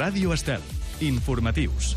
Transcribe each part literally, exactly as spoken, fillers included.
Ràdio Estel. Informatius.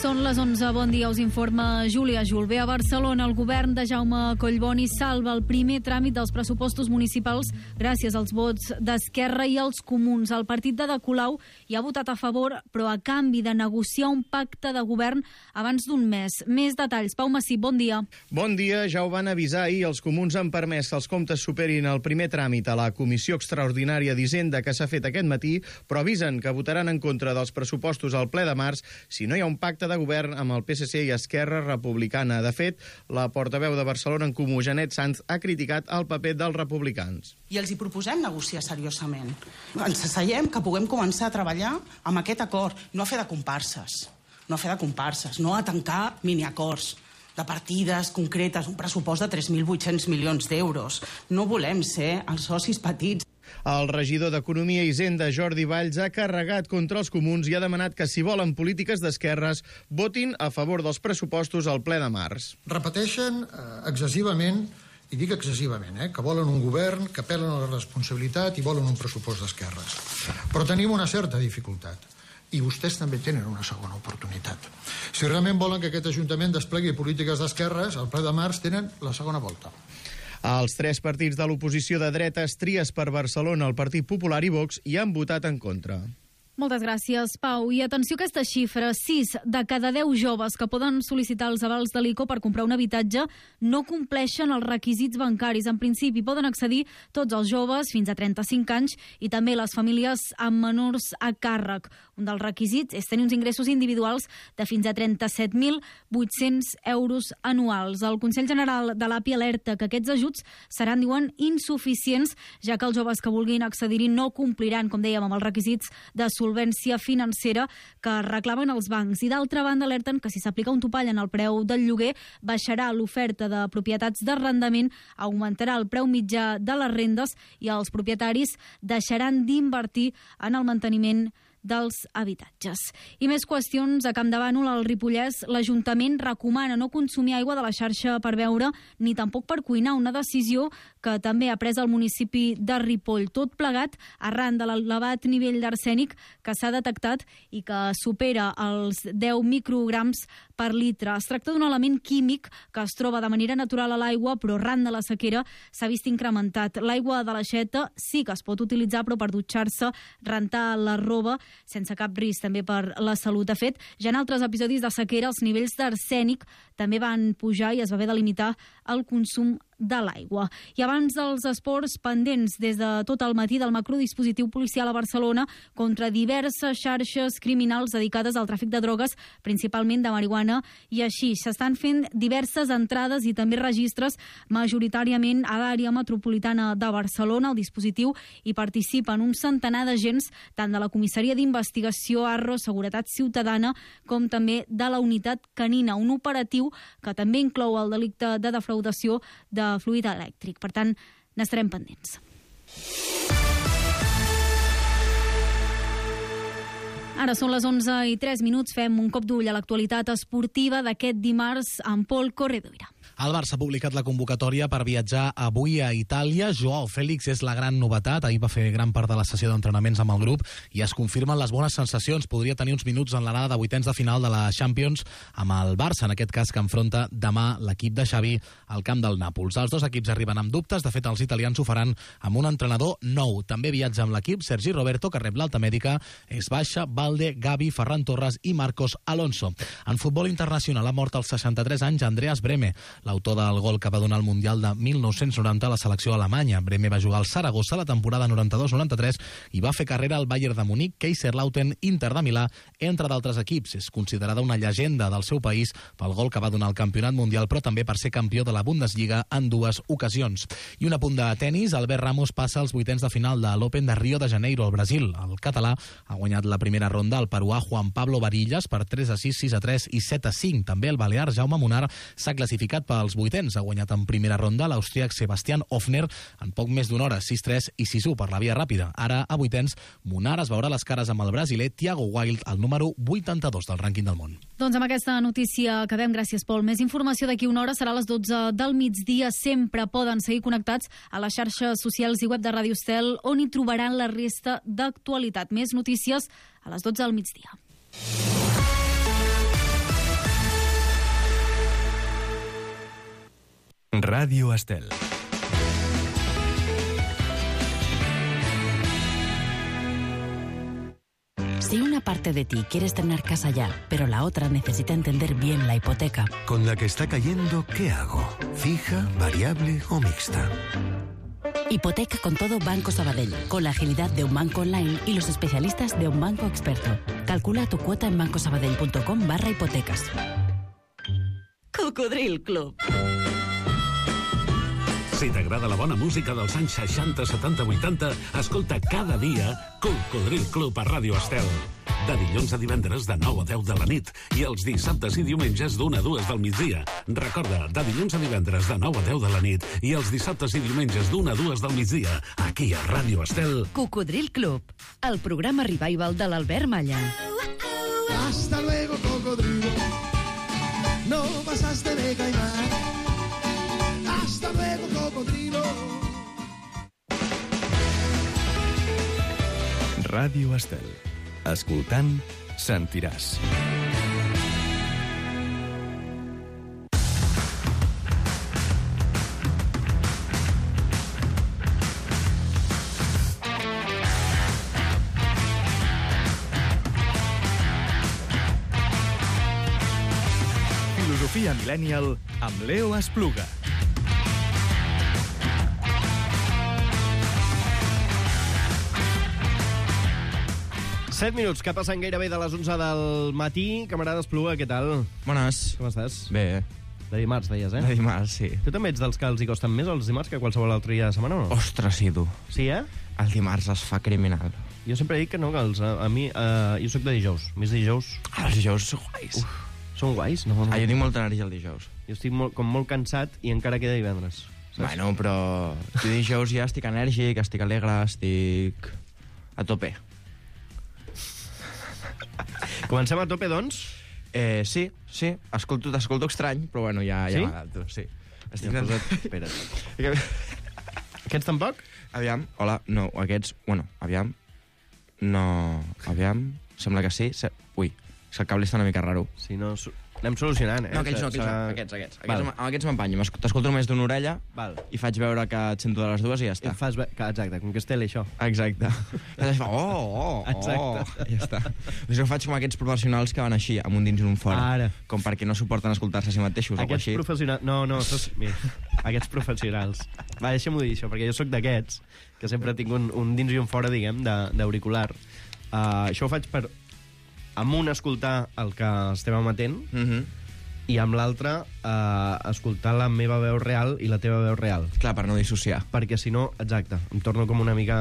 Són les onze. Bon dia, us informa Júlia Julve. A Barcelona, el govern de Jaume Collboni salva el primer tràmit dels pressupostos municipals gràcies als vots d'Esquerra i els Comuns. El partit de De Colau hi ha votat a favor, però a canvi de negociar un pacte de govern abans d'un mes. Més detalls. Pau Massip, bon dia. Bon dia. Ja ho van avisar ahir. Els Comuns han permès que els comptes superin el primer tràmit a la Comissió Extraordinària d'Hisenda que s'ha fet aquest matí, però avisen que votaran en contra dels pressupostos al ple de març si no hi ha un pacte de govern amb el P S C i Esquerra Republicana. De fet, la portaveu de Barcelona en Comú, Janet Sanz, ha criticat el paper dels republicans. I els hi proposem negociar seriosament. Ens asseiem que puguem començar a treballar amb aquest acord, no a fer de comparses, no a fer de comparses, no a tancar miniacords de partides concretes, un pressupost de tres mil vuit-cents milions d'euros. No volem ser els socis petits. El regidor d'Economia i Hisenda, Jordi Valls, ha carregat contra els Comuns i ha demanat que, si volen polítiques d'esquerres, votin a favor dels pressupostos al ple de març. Repeteixen eh, excessivament, i dic excessivament, eh, que volen un govern, que apel·len a la responsabilitat i volen un pressupost d'esquerres. Però tenim una certa dificultat. I vostès també tenen una segona oportunitat. Si realment volen que aquest Ajuntament desplegui polítiques d'esquerres, al ple de març tenen la segona volta. Els tres partits de l'oposició de dretes, Tries per Barcelona, el Partit Popular i Vox, hi han votat en contra. Moltes gràcies, Pau. I atenció a aquesta xifra. sis de cada deu joves que poden sol·licitar els avals de l'I C O per comprar un habitatge no compleixen els requisits bancaris. En principi poden accedir tots els joves fins a trenta-cinc anys i també les famílies amb menors a càrrec. Un dels requisits és tenir uns ingressos individuals de fins a trenta-set mil vuit-cents euros anuals. El Consell General de l'A P I alerta que aquests ajuts seran, diuen, insuficients, ja que els joves que vulguin accedir-hi no compliran, com dèiem, amb els requisits de solvència financera que reclamen els bancs. I d'altra banda alerten que si s'aplica un topall en el preu del lloguer baixarà l'oferta de propietats d'arrendament, augmentarà el preu mitjà de les rendes i els propietaris deixaran d'invertir en el manteniment dels habitatges. I més qüestions. A Campdevànol, al Ripollès, l'Ajuntament recomana no consumir aigua de la xarxa per beure ni tampoc per cuinar, una decisió que també ha pres el municipi de Ripoll. Tot plegat arran de l'elevat nivell d'arsènic que s'ha detectat i que supera els deu micrograms per litre. Es tracta d'un element químic que es troba de manera natural a l'aigua, però arran de la sequera s'ha vist incrementat. L'aigua de l'aixeta sí que es pot utilitzar, però per dutxar-se, rentar la roba, sense cap risc també per la salut. De fet, ja en altres episodis de sequera els nivells d'arsènic també van pujar i es va haver de limitar el consum de l'aigua. I abans dels esports, pendents des de tot el matí del macrodispositiu policial a Barcelona contra diverses xarxes criminals dedicades al tràfic de drogues, principalment de marihuana i així. S'estan fent diverses entrades i també registres, majoritàriament a l'àrea metropolitana de Barcelona. El dispositiu hi participen un centenar d'agents, tant de la comissaria d'investigació Arro, Seguretat Ciutadana, com també de la unitat canina, un operatiu que també inclou el delicte de defraudació de fluid elèctric. Per tant, n'estarem pendents. Ara són les onze i tres minuts. Fem un cop d'ull a l'actualitat esportiva d'aquest dimarts amb Pol Corredoira. El Barça ha publicat la convocatòria per viatjar avui a Itàlia. Joao Félix és la gran novetat. Ahir va fer gran part de la sessió d'entrenaments amb el grup i es confirmen les bones sensacions. Podria tenir uns minuts en l'anada de vuitens de final de la Champions amb el Barça, en aquest cas que enfronta demà l'equip de Xavi al camp del Nàpols. Els dos equips arriben amb dubtes. De fet, els italians ho faran amb un entrenador nou. També viatja amb l'equip Sergi Roberto, que rep l'alta mèdica. És baixa Valde, Gavi, Ferran Torres i Marcos Alonso. En futbol internacional ha mort als seixanta-tres anys Andreas Brehme, l'autor del gol que va donar el Mundial de mil nou-cents noranta a la selecció alemanya. Brehme va jugar al Saragossa la temporada noranta-dos noranta-tres i va fer carrera al Bayern de Munic, Kaiserslautern, Inter de Milà, entre d'altres equips. És considerada una llegenda del seu país pel gol que va donar al Campionat Mundial, però també per ser campió de la Bundesliga en dues ocasions. I un apunt de tenis, Albert Ramos passa als vuitens de final de l'Open de Rio de Janeiro, al Brasil. El català ha guanyat la primera ronda al peruà Juan Pablo Varillas per tres a sis, sis a tres i set a cinc. També el balear Jaume Munar s'ha classificat per pels vuitens. Ha guanyat en primera ronda l'austríac Sebastian Hofner en poc més d'una hora, sis tres i sis u per la via ràpida. Ara, a vuitens, Munar es veurà les cares amb el brasiler Thiago Wild, el número vuitanta-dos del rànquing del món. Doncs amb aquesta notícia acabem. Gràcies, Pol. Més informació d'aquí una hora serà a les dotze del migdia. Sempre poden seguir connectats a les xarxes socials i web de Ràdio Estel, on hi trobaran la resta d'actualitat. Més notícies a les dotze del migdia. Radio Estel. Si una parte de ti quieres tener casa ya, pero la otra necesita entender bien la hipoteca. Con la que está cayendo, ¿qué hago? ¿Fija, variable o mixta? Hipoteca con todo Banco Sabadell, con la agilidad de un banco online y los especialistas de un banco experto. Calcula tu cuota en bancosabadell.com barra hipotecas. Cocodril Club. Si t'agrada la bona música dels anys seixanta, setanta, vuitanta, escolta cada dia Cocodril Club a Ràdio Estel. De dilluns a divendres de nou a deu de la nit i els dissabtes i diumenges d'una a dues del migdia. Recorda, de dilluns a divendres de nou a deu de la nit i els dissabtes i diumenges d'una a dues del migdia, aquí a Ràdio Estel. Cocodril Club, el programa revival de l'Albert Malla. Hasta luego, cocodrilo. No pasaste de caimán. Hasta luego, cocodrilo. Ràdio Estel. Escoltant, sentiràs. Filosofia Millennial amb Leo Espluga. set minuts, que passen gairebé de les onze del matí. Camarada Espluga, què tal? Bones. Com estàs? Bé. De dimarts, deies, eh? De dimarts, sí. Tu també ets dels que els hi costen més els dimarts que qualsevol altre dia de setmana, o no? Ostres, sí, tu. Sí, eh? El dimarts es fa criminal. Jo sempre dic que no, que els, a, a mi... Uh, jo sóc de dijous. Més dijous... Ah, els dijous són guais. Uf, són guais? No, no. Ah, jo tinc molta energia el dijous. Jo estic molt, com molt cansat i encara queda divendres. Saps? Bueno, però... Jo dijous ja estic enèrgic, estic alegre, estic... a tope. Comencem a tope, doncs? Eh, sí, sí. Escolto, t'escolto estrany, però bueno, ja, ja sí? m'adapto, sí. Estic ja posat... Espera't. Aquests tampoc? Aviam, hola, no, aquests... Bueno, aviam... No... Aviam... Sembla que sí. Se... Ui, és que el cable està una mica raro. Si no... Anem solucionant, eh? No, aquells no, aquells no. Aquests, aquests. Aquests, amb aquests m'empanyo. T'escolto només d'una orella. Val. I faig veure que et sento de les dues i ja està. I fas ve... Exacte, com que és tele, això. Exacte. I fa, oh, oh, Exacte. oh. I ja està. Doncs jo faig com aquests professionals que van així, amb un dins i un fora. Ara. Com perquè no suporten escoltar-se a si mateixos o Aquests així. professionals... No, no, sos... Mira, aquests professionals. Va, deixa'm-ho dir, això, perquè jo sóc d'aquests, que sempre tinc un, un dins i un fora, diguem, d'auricular. Uh, això ho faig per... Amb un, escoltar el que estem emetent, Mhm. i amb l'altre eh, escoltar la meva veu real i la teva veu real. Clar, per no dissociar. Perquè si no, exacte, em torno com una mica...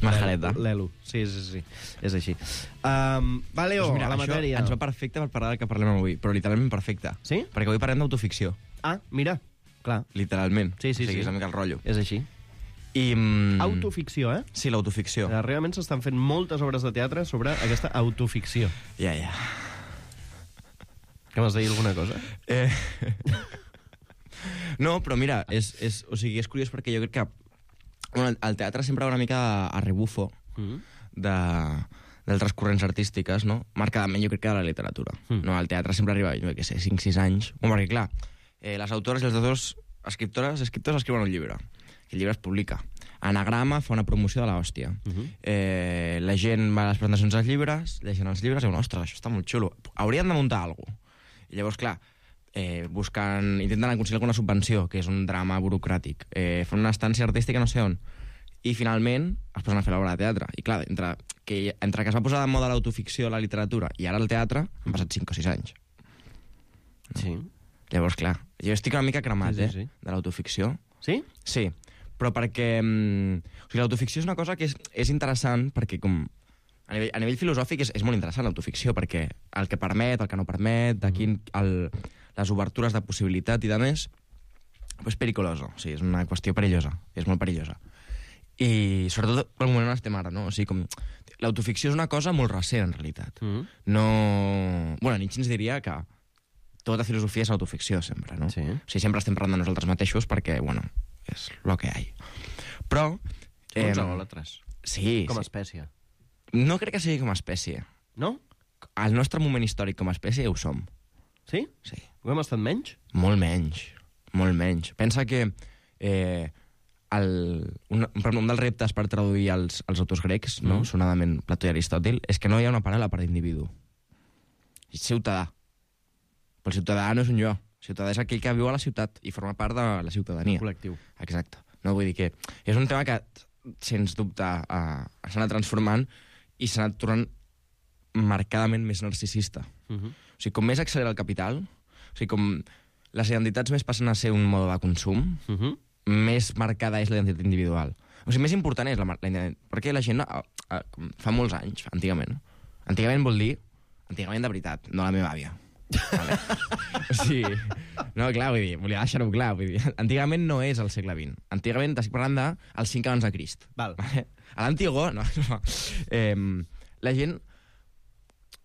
Majareta. L'Elo. Sí, sí, sí, és així. Um, va, Leo, Doncs mira, a la això matèria. ens va perfecte per parlar del que parlem avui, però literalment perfecte. Sí? Perquè avui parlem d'autoficció. Ah, mira, clar. Literalment. Sí, sí, o sigui, sí. és una mica el rotllo. És així. I... Mm, Autoficció, eh? Sí, l'autoficció. Realment s'estan fent moltes obres de teatre sobre aquesta autoficció. Ja, ja. Que m'has de dir alguna cosa? Eh... No, però mira, és, és, o sigui, és curiós perquè jo crec que bueno, el teatre sempre va una mica a rebufo Mm. de, d'altres corrents artístiques, no? Marcadament jo crec que de la literatura. Mm. No? El teatre sempre arriba, jo què sé, cinc sis anys. Bueno, perquè clar, eh, les autores i els autors, escriptores, escriptors escriuen un llibre. El llibre es publica. Anagrama fa una promoció de l'hòstia. Uh -huh. eh, la gent va a les presentacions dels llibres, llegeixen els llibres i diuen, ostres, això està molt xulo. Haurien de muntar alguna cosa. I llavors, clar, eh, busquen, intenten aconseguir alguna subvenció, que és un drama burocràtic. Eh, fan una estància artística no sé on. I finalment es posen a fer l'obra de teatre. I clar, entre que, entre que es va posar de moda l'autoficció, la literatura, i ara el teatre, han passat cinc o sis anys. Sí. Llavors, clar, jo estic una mica cremat, sí, sí, sí. eh, de l'autoficció. Sí? Sí, però perquè... Mm, o sigui, l'autoficció és una cosa que és, és interessant perquè com... A nivell, a nivell filosòfic és, és molt interessant l'autoficció, perquè el que permet, el que no permet, de quin, el, les obertures de possibilitat i de més, és pericoloso, sí, és una qüestió perillosa, és molt perillosa. I sobretot pel moment on estem ara, no? O sigui, com... L'autoficció és una cosa molt recent, en realitat. Mm. No... Bueno, Nietzsche ens diria que tota filosofia és autoficció, sempre, no? Sí. O sigui, sempre estem parlant de nosaltres mateixos perquè, bueno, és lo que hi ha. Però... Som uns egòlatres. Sí. Com a sí. espècie. No crec que sigui com a espècie. No? Al nostre moment històric com a espècie ho som. Sí? Sí. Ho hem estat menys? Molt menys. Molt menys. Pensa que... Eh, El, un, un dels reptes per traduir els, els autors grecs, no? Mm. sonadament Plató i Aristòtil, és que no hi ha una paral·la per individu. És ciutadà. Però el ciutadà no és un jo. El ciutadà és aquell que viu a la ciutat i forma part de la ciutadania. Col·lectiu. Exacte. No, vull dir que és un tema que, sens dubte, uh, s'ha anat transformant i s'ha anat tornant marcadament més narcisista. Mm -hmm. O sigui, com més accelera el capital, o sigui, com les identitats més passen a ser un mode de consum, mm -hmm. més marcada és la identitat individual. O sigui, més important és la, la identitat. Perquè la gent, a, a, fa molts anys, antigament, antigament vol dir, antigament de veritat, no la meva àvia. Vale? O sigui, no, clar, vull dir, volia deixar-ho clar, vull dir, antigament no és el segle vint. Antigament estic parlant del cinc abans de Crist. Val. Vale? A l'antigó, no, no. Eh, la gent,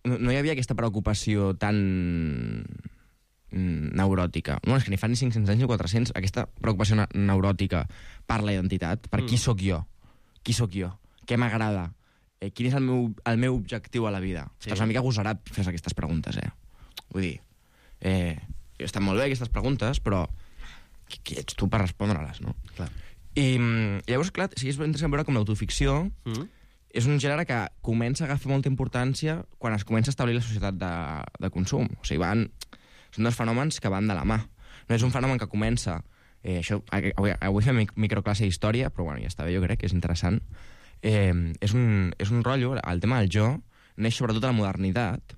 no, no hi havia aquesta preocupació tan... neuròtica. No, és que ni fa ni cinc-cents anys ni quatre-cents aquesta preocupació neuròtica per la identitat, per mm. qui sóc jo, qui sóc jo, què m'agrada, eh, quin és el meu, el meu objectiu a la vida. Sí. Estàs una mica agosarat fer aquestes preguntes, eh? Vull dir, eh, estan molt bé aquestes preguntes, però qui, qui ets tu per respondre-les, no? Clar. I, i llavors, clar, sí, és interessant veure com l'autoficció mm. és un gènere que comença a agafar molta importància quan es comença a establir la societat de, de consum. O sigui, van... Són dos fenòmens que van de la mà. No és un fenomen que comença... Eh, això, avui, avui fem microclasse d'història, però bueno, ja està bé, jo crec que és interessant. Eh, és, un, és un rotllo, el tema del jo neix sobretot a la modernitat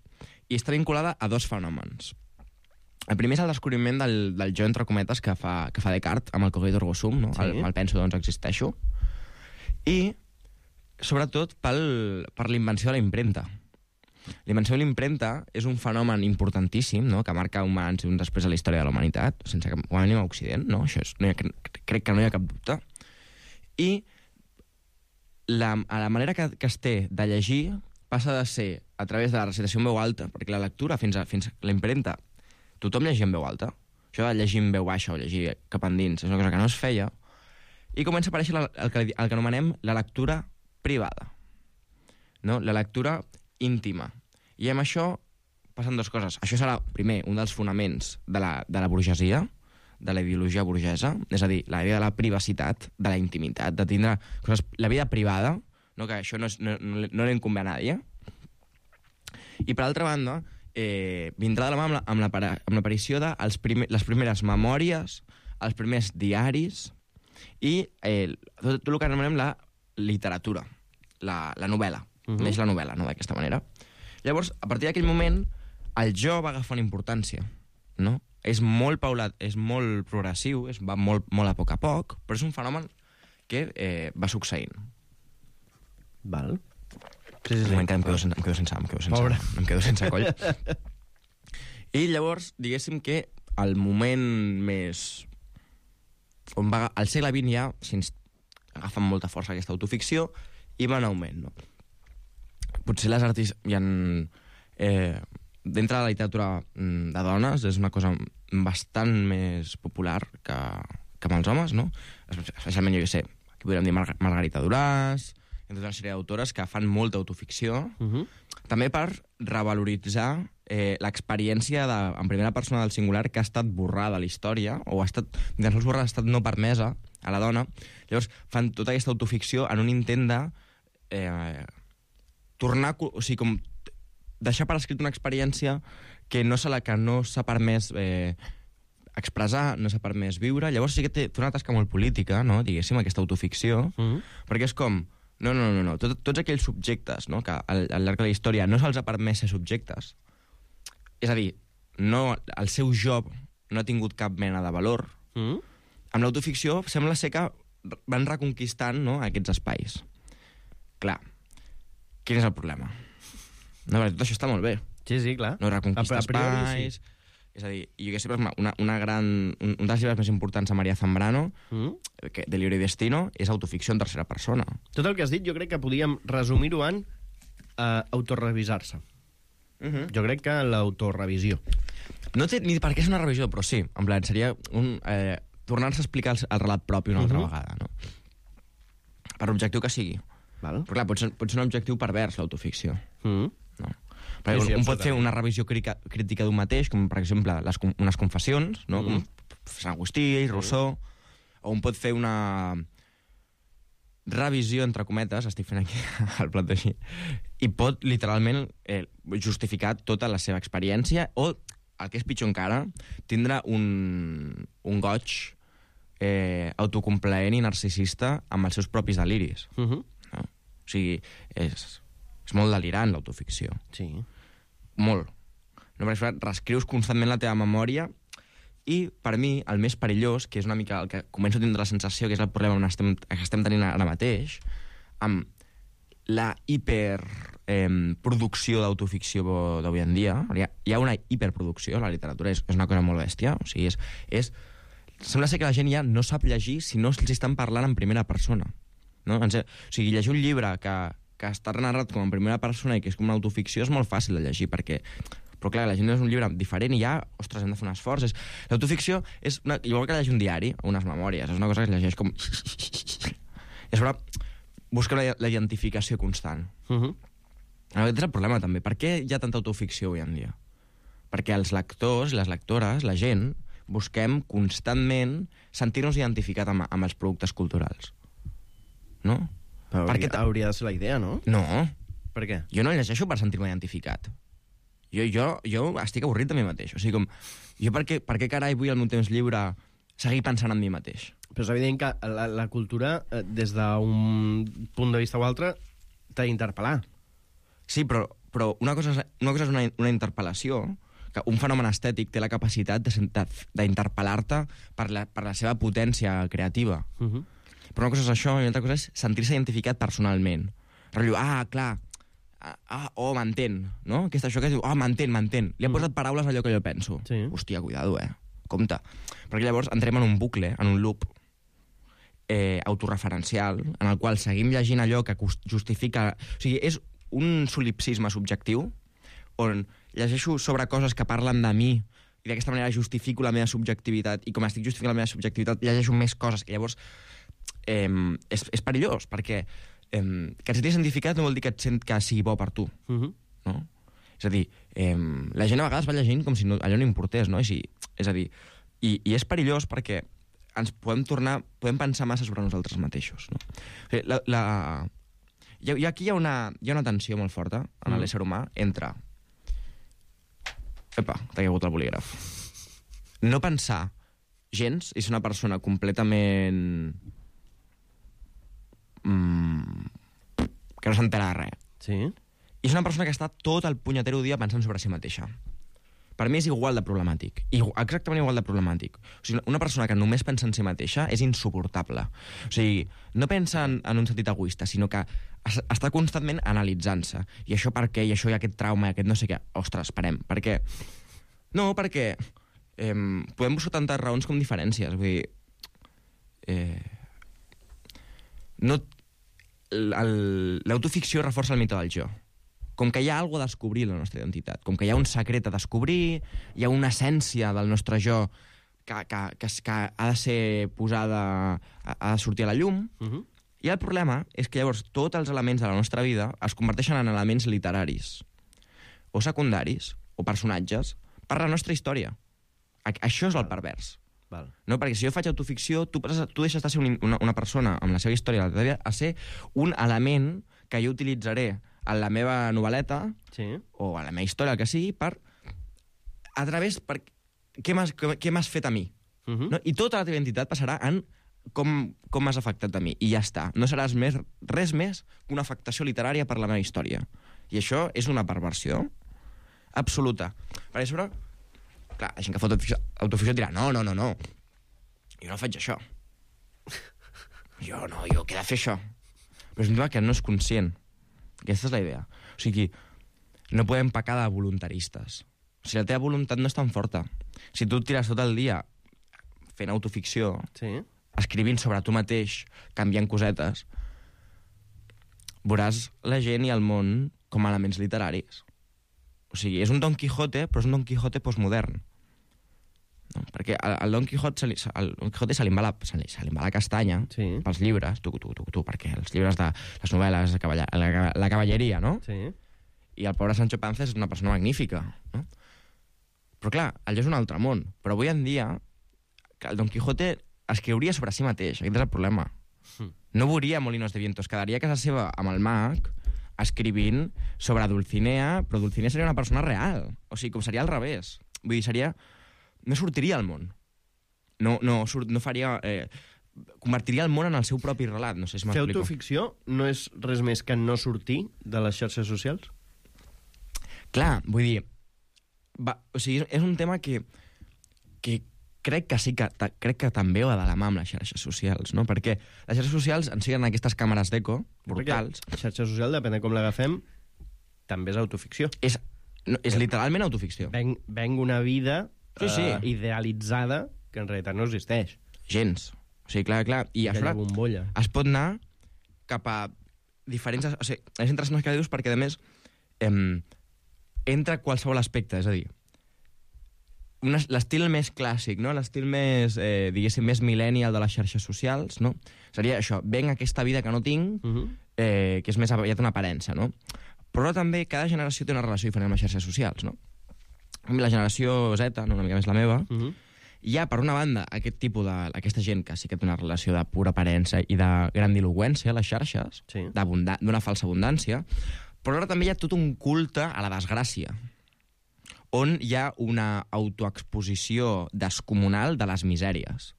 i està vinculada a dos fenòmens. El primer és el descobriment del, del jo, entre cometes, que fa, que fa Descartes amb el cogito ergo sum, no? Sí. el, el penso, doncs existeixo. I, sobretot, pel, per la invenció de la impremta. La invenció de l'impremta és un fenomen importantíssim, no?, que marca un abans i un després a la història de la humanitat, sense que ho anem a Occident, no? Això és, no ha, crec que no hi ha cap dubte. I la, a la manera que, que es té de llegir passa de ser a través de la recitació en veu alta, perquè la lectura fins a, fins a la impremta tothom llegia en veu alta. Això de llegir en veu baixa o llegir cap endins és una cosa que no es feia, i comença a aparèixer la, el, que, el que anomenem la lectura privada, no? La lectura íntima. I amb això passen dues coses. Això serà, primer, un dels fonaments de la, de la burgesia, de la ideologia burgesa, és a dir, la idea de la privacitat, de la intimitat, de tindre coses, la vida privada, no? Que això no, és, no, no, no li incumbe a nadie. I, per altra banda, eh, vindrà de la mà amb, la, amb, la, amb l'aparició de els primer, les primeres memòries, els primers diaris i eh, tot, tot el que anomenem la literatura, la, la novel·la. Uh-huh. Neix la novel·la, no?, d'aquesta manera. Llavors, a partir d'aquell moment, el jo va agafar una importància, no? És molt paulat, és molt progressiu, és, va molt, molt a poc a poc, però és un fenomen que eh, va succeint. Val. Sí, sí, sí. Em quedo sense, em quedo sense, em quedo sense, em quedo sense coll. I llavors, diguéssim que el moment més... on va, al segle vint ja agafa amb molta força aquesta autoficció i va en augment, no? Potser les artistes hi ha... Eh, dintre de la literatura de dones és una cosa bastant més popular que, que amb els homes, no? Especialment, jo què sé, aquí podríem dir Mar Margarita Duràs, hi ha tota una sèrie d'autores que fan molta autoficció, uh-huh. també per revaloritzar eh, l'experiència en primera persona del singular que ha estat borrada a la història, o ha estat, ni tan sols borrada, ha estat no permesa a la dona. Llavors fan tota aquesta autoficció en un intent de eh, tornar, o sigui, com deixar per escrit una experiència que no se la que no s'ha permès eh, expressar, no s'ha permès viure. Llavors sí que té, té una tasca molt política, no?, diguéssim, aquesta autoficció, mm-hmm. perquè és com, no, no, no, no, Tot, tots aquells subjectes, no?, que al, al llarg de la història no se'ls ha permès ser subjectes, és a dir, no, el seu jo no ha tingut cap mena de valor, mm-hmm. amb l'autoficció sembla ser que van reconquistant, no?, aquests espais. Clar, quin és el problema? No, tot això està molt bé. Sí, sí, clar. No reconquista espais, sí. És a dir, jo que sé, una, una gran, un, un dels llibres més importants de Maria Zambrano, mm. que, de Libro y Destino, és autoficció en tercera persona. Tot el que has dit jo crec que podíem resumir-ho en uh, autorevisar-se. Uh-huh. Jo crec que l'autorevisió. No té ni per què és una revisió, però sí, en plan, seria un... Eh, tornar-se a explicar el, el relat propi una altra uh-huh. vegada, no? Per l'objectiu que sigui. Val. Però clar, pot ser, pot ser un objectiu pervers, l'autoficció. Uh-huh. No. Perquè sí, sí, un pot fer una revisió crítica, crítica d'un mateix, com per exemple les, unes confessions, no? Uh-huh. Com Sant Agustí, Rousseau, uh-huh. o un pot fer una revisió, entre cometes, estic fent aquí el plat així, i pot literalment eh, justificar tota la seva experiència, o, el que és pitjor encara, tindre un, un goig eh, autocomplaent i narcisista amb els seus propis deliris. Uh-huh. No? O sigui, és, és molt delirant l'autoficció. Sí. Molt. No, perquè reescrius constantment la teva memòria i, per mi, el més perillós, que és una mica el que començo a tindre la sensació que és el problema on estem, que estem tenint ara mateix, amb la hiperproducció eh, d'autoficció d'avui en dia. Hi ha, hi ha una hiperproducció, la literatura és, és una cosa molt bèstia. O sigui, és, és, sembla ser que la gent ja no sap llegir si no els estan parlant en primera persona. No? O sigui, llegir un llibre que, que està narrat com en primera persona i que és com una autoficció és molt fàcil de llegir, perquè... Però clar, la gent és un llibre diferent i ja, ostres, hem de fer un esforç. L'autoficció és una, igual que llegir un diari o unes memòries, és una cosa que es llegeix com... I a sobre busca la, la identificació constant. Uh-huh. Aquest és el problema, també. Per què hi ha tanta autoficció avui en dia? Perquè els lectors i les lectores, la gent, busquem constantment sentir-nos identificats amb, amb els productes culturals. No? Però hauria, hauria de ser la idea, no? No. Per què? Jo no llegeixo per sentir-me identificat. Jo, jo, jo estic avorrit de mi mateix. O sigui, com, jo per què, per què carai vull al meu temps lliure seguir pensant en mi mateix? Però és evident que la, la cultura, eh, des d'un punt de vista o altre, t'ha d'interpel·lar. Sí, però, però una cosa és, una, cosa és una, una interpel·lació, que un fenomen estètic té la capacitat d'interpel·lar-te per, la, per la seva potència creativa. Uh-huh. Però una cosa és això, i una altra cosa és sentir-se identificat personalment. Rotllo, ah, clar, ah, oh, m'entén, no? Que és això que diu, ah, oh, m'entén, m'entén. Li ha posat paraules a allò que jo penso. Sí. Hòstia, cuidado, eh? Compte. Perquè llavors entrem en un bucle, en un loop eh, autorreferencial, en el qual seguim llegint allò que justifica... O sigui, és un solipsisme subjectiu on llegeixo sobre coses que parlen de mi i d'aquesta manera justifico la meva subjectivitat, i com estic justificant la meva subjectivitat llegeixo més coses, i llavors eh, és, és perillós, perquè eh, que et sentis identificat no vol dir que et sent que sigui bo per tu. Uh-huh. No? És a dir, eh, la gent a vegades va llegint com si no, allò no importés, no? I si, és a dir, i, i és perillós perquè ens podem tornar, podem pensar massa sobre nosaltres mateixos, no? O sigui, la, la... I, i aquí hi ha, una, hi ha una tensió molt forta en mm. l'ésser humà entre... Epa, t'ha caigut el bolígraf. No pensar gens i ser una persona completament... Mm, que no s'entera de res. Sí. I és una persona que està tot el punyetero dia pensant sobre si mateixa. Per mi és igual de problemàtic. Igual, exactament igual de problemàtic. O sigui, una persona que només pensa en si mateixa és insuportable. O sigui, no pensa en, en un sentit egoista, sinó que es, està constantment analitzant-se. I això per què? I això i aquest trauma, i aquest no sé què. Ostres, esperem. Per què? No, perquè eh, podem buscar tantes raons com diferències. Vull dir... Eh, no... L'autoficció reforça el mite del jo. Com que hi ha alguna cosa a descobrir en la nostra identitat, com que hi ha un secret a descobrir, hi ha una essència del nostre jo que, que, que, que ha de ser posada, ha de sortir a la llum, uh-huh. I el problema és que llavors tots els elements de la nostra vida es converteixen en elements literaris, o secundaris, o personatges, per la nostra història. Això és el pervers. Val. No? Perquè si jo faig autoficció, tu, tu deixes de ser una, una persona amb la seva història a ser un element que jo utilitzaré a la meva novel·leta, sí, o a la meva història, el que sigui, per... a través... Per, què m'has fet a mi? Uh-huh. No? I tota la teva identitat passarà en com, com m'has afectat a mi. I ja està. No seràs més, res més que una afectació literària per la meva història. I això és una perversió absoluta. Per això, clar, la gent que fa autoficció, autoficció dirà, no, no, no, no. Jo no faig això. Jo no, jo què he de fer això? Però és un tema que no és conscient. Aquesta és la idea. O sigui, no podem pecar de voluntaristes. O sigui, la teva voluntat no és tan forta. Si tu et tires tot el dia fent autoficció, sí. escrivint sobre tu mateix, canviant cosetes, veuràs la gent i el món com a elements literaris. O sigui, és un Don Quijote, però és un Don Quijote postmodern. No? Perquè al Don Quijote se li, al Don Quijote se li va la, se li, se li va la castanya sí. pels llibres, tu, tu, tu, tu, perquè els llibres de les novel·les, la, cavalla, la, la cavalleria, no? Sí. I el pobre Sancho Panza és una persona magnífica, no? Però clar, allò és un altre món. Però avui en dia, el Don Quijote escriuria sobre si mateix, aquest és el problema. Mm. No veuria Molinos de Viento, es quedaria a casa seva amb el mag escrivint sobre Dulcinea, però Dulcinea seria una persona real. O sigui, com seria al revés. Vull dir, seria... No sortiria al món. No, no, surt, no faria... Eh, convertiria el món en el seu propi relat. No sé si m'explico. Fer autoficció no és res més que no sortir de les xarxes socials? Clar, vull dir... Va, o sigui, és un tema que, que crec que sí que, ta, crec que també va de la mà amb les xarxes socials, no? Perquè les xarxes socials en siguen aquestes càmeres d'eco brutals. La xarxa social, depèn de com l'agafem, també és autoficció. És, no, és literalment autoficció. Venc, venc una vida sí, sí. Uh, idealitzada que en realitat no existeix. Gens. O sigui, clar, clar. I aquella bombolla. Es pot anar cap a diferents... O sigui, és interessant el que dius perquè, a més, eh, entra qualsevol aspecte, és a dir, l'estil més clàssic, no? L'estil més, eh, diguéssim, més millennial de les xarxes socials, no? Seria això, venc aquesta vida que no tinc, uh-huh. eh, que és més aviat una aparença, no? Però també cada generació té una relació diferent amb les xarxes socials, no? La generació Z, no? Una mica més la meva, uh-huh. hi ha, per una banda, aquest tipus de... aquesta gent que sí que té una relació de pura aparença i de grandiloqüència a les xarxes, sí. d'una falsa abundància, però ara també hi ha tot un culte a la desgràcia, on hi ha una autoexposició descomunal de les misèries.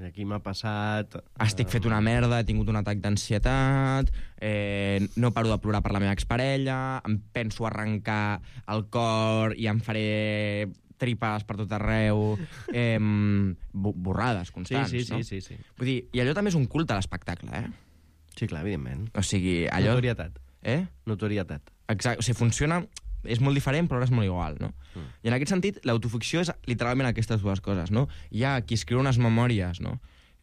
Aquí m'ha passat... Estic fet una merda, he tingut un atac d'ansietat, eh, no paro de plorar per la meva exparella, em penso arrencar el cor i em faré tripes per tot arreu, eh, borrades constants, sí, sí, no? Sí, sí, sí. Vull dir, i allò també és un culte a l'espectacle, eh? Sí, clar, evidentment. O sigui, allò... Notorietat. Eh? Notorietat. Exacte, o sigui, funciona... És molt diferent, però ara és molt igual, no? Mm. I en aquest sentit, l'autoficció és literalment aquestes dues coses, no? Hi ha qui escriu unes memòries, no?,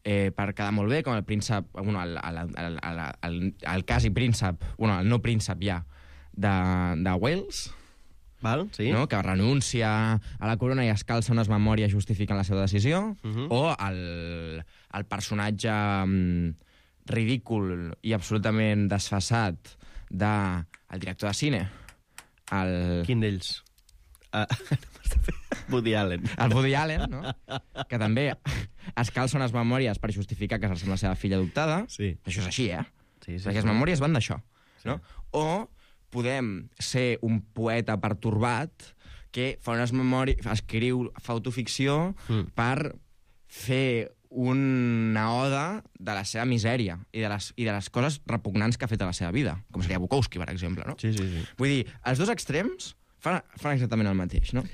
eh, per quedar molt bé, com el príncep... Bueno, el, el, el, el, el, el quasi príncep... Bueno, el no príncep ja, de, de Wales... Val, sí. No? Que renuncia a la corona i es calça unes memòries justificant la seva decisió, uh-huh. o el, el personatge um, ridícul i absolutament desfasat del de, director de cine, el... Quin d'ells? Uh, Woody Allen. El Woody Allen, no? Que també es calça unes memòries per justificar que és la seva filla adoptada. Sí. Això és així, eh? Sí, sí, Perquè les sí. memòries van d'això. Sí. No? O podem ser un poeta pertorbat que fa unes memòries, escriu, fa autoficció mm. per fer una oda de la seva misèria i de, les, i de les coses repugnants que ha fet a la seva vida, com seria Bukowski, per exemple, no? Sí, sí, sí. Vull dir, els dos extrems fan, fan exactament el mateix, no?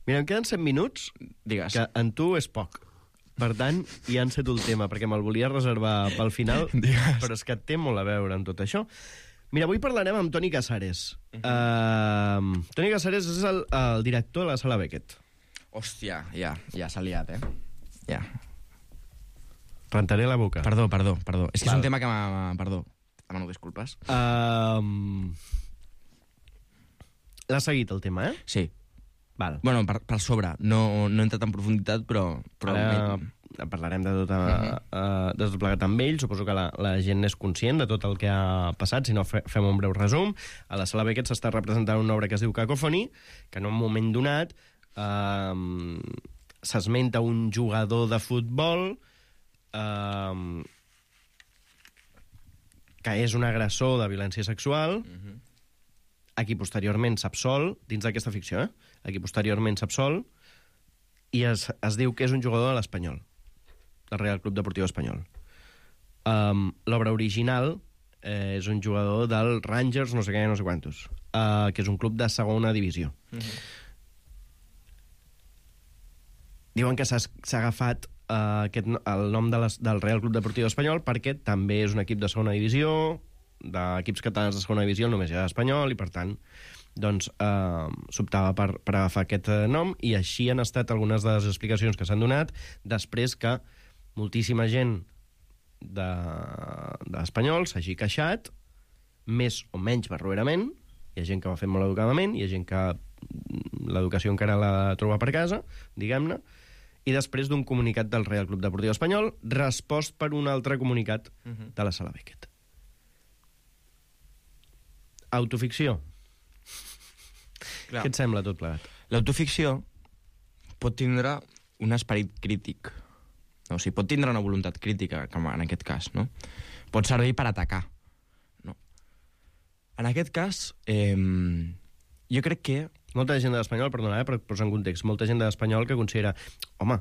Mira, em queden set minuts, Digues. Que en tu és poc. Per tant, ja enceto el tema, perquè me'l volia reservar pel final, Digues. Però és que té molt a veure amb tot això. Mira, avui parlarem amb Toni Casares. Uh-huh. Uh, Toni Casares és el, el director de la Sala Beckett. Hòstia, ja, ja s'ha liat, eh? Ja. Rentaré la boca. Perdó, perdó, perdó. És que Val. és un tema que m'ha... Perdó. Demano disculpes. Uh, L'ha seguit, el tema, eh? Sí. Val. Bueno, per, per sobre. No, no he entrat en profunditat, però... però Ara me... parlarem de tot, uh-huh. uh, de tot plegat amb ell. Suposo que la, la gent és conscient de tot el que ha passat. Si no, fe, fem un breu resum. A la Sala Beckett s'està representant una obra que es diu Cacophony, que en un moment donat uh, s'esmenta un jugador de futbol uh, que és un agressor de violència sexual, uh-huh. a qui posteriorment s'absol, dins d'aquesta ficció, eh? a qui posteriorment s'absol, i es, es diu que és un jugador de l'Espanyol, del Real Club Deportiu Espanyol. Um, L'obra original eh, és un jugador del Rangers, no sé què, no sé quantos, uh, que és un club de segona divisió. Uh-huh. Diuen que s'ha agafat uh, aquest, el nom de les, del Real Club Deportiu Espanyol perquè també és un equip de segona divisió, d'equips catalans de segona divisió només hi ha Espanyol, i per tant doncs eh, s'optava per, per agafar aquest eh, nom, i així han estat algunes de les explicacions que s'han donat després que moltíssima gent de, de l'Espanyol s'hagi queixat, més o menys barroerament. Hi ha gent que ho ha fet molt educadament, hi ha gent que l'educació encara la troba per casa, diguem-ne, i després d'un comunicat del Real Club Deportiu Espanyol, respost per un altre comunicat uh-huh. de la Sala Beckett. Autoficció. Clar. Què et sembla tot plegat? L'autoficció pot tindre un esperit crític. O sigui, pot tindre una voluntat crítica, com en aquest cas, no? Pot servir per atacar. No? En aquest cas, eh, jo crec que... Molta gent de l'Espanyol, perdona, eh, per posar en context, molta gent de l'Espanyol que considera, home...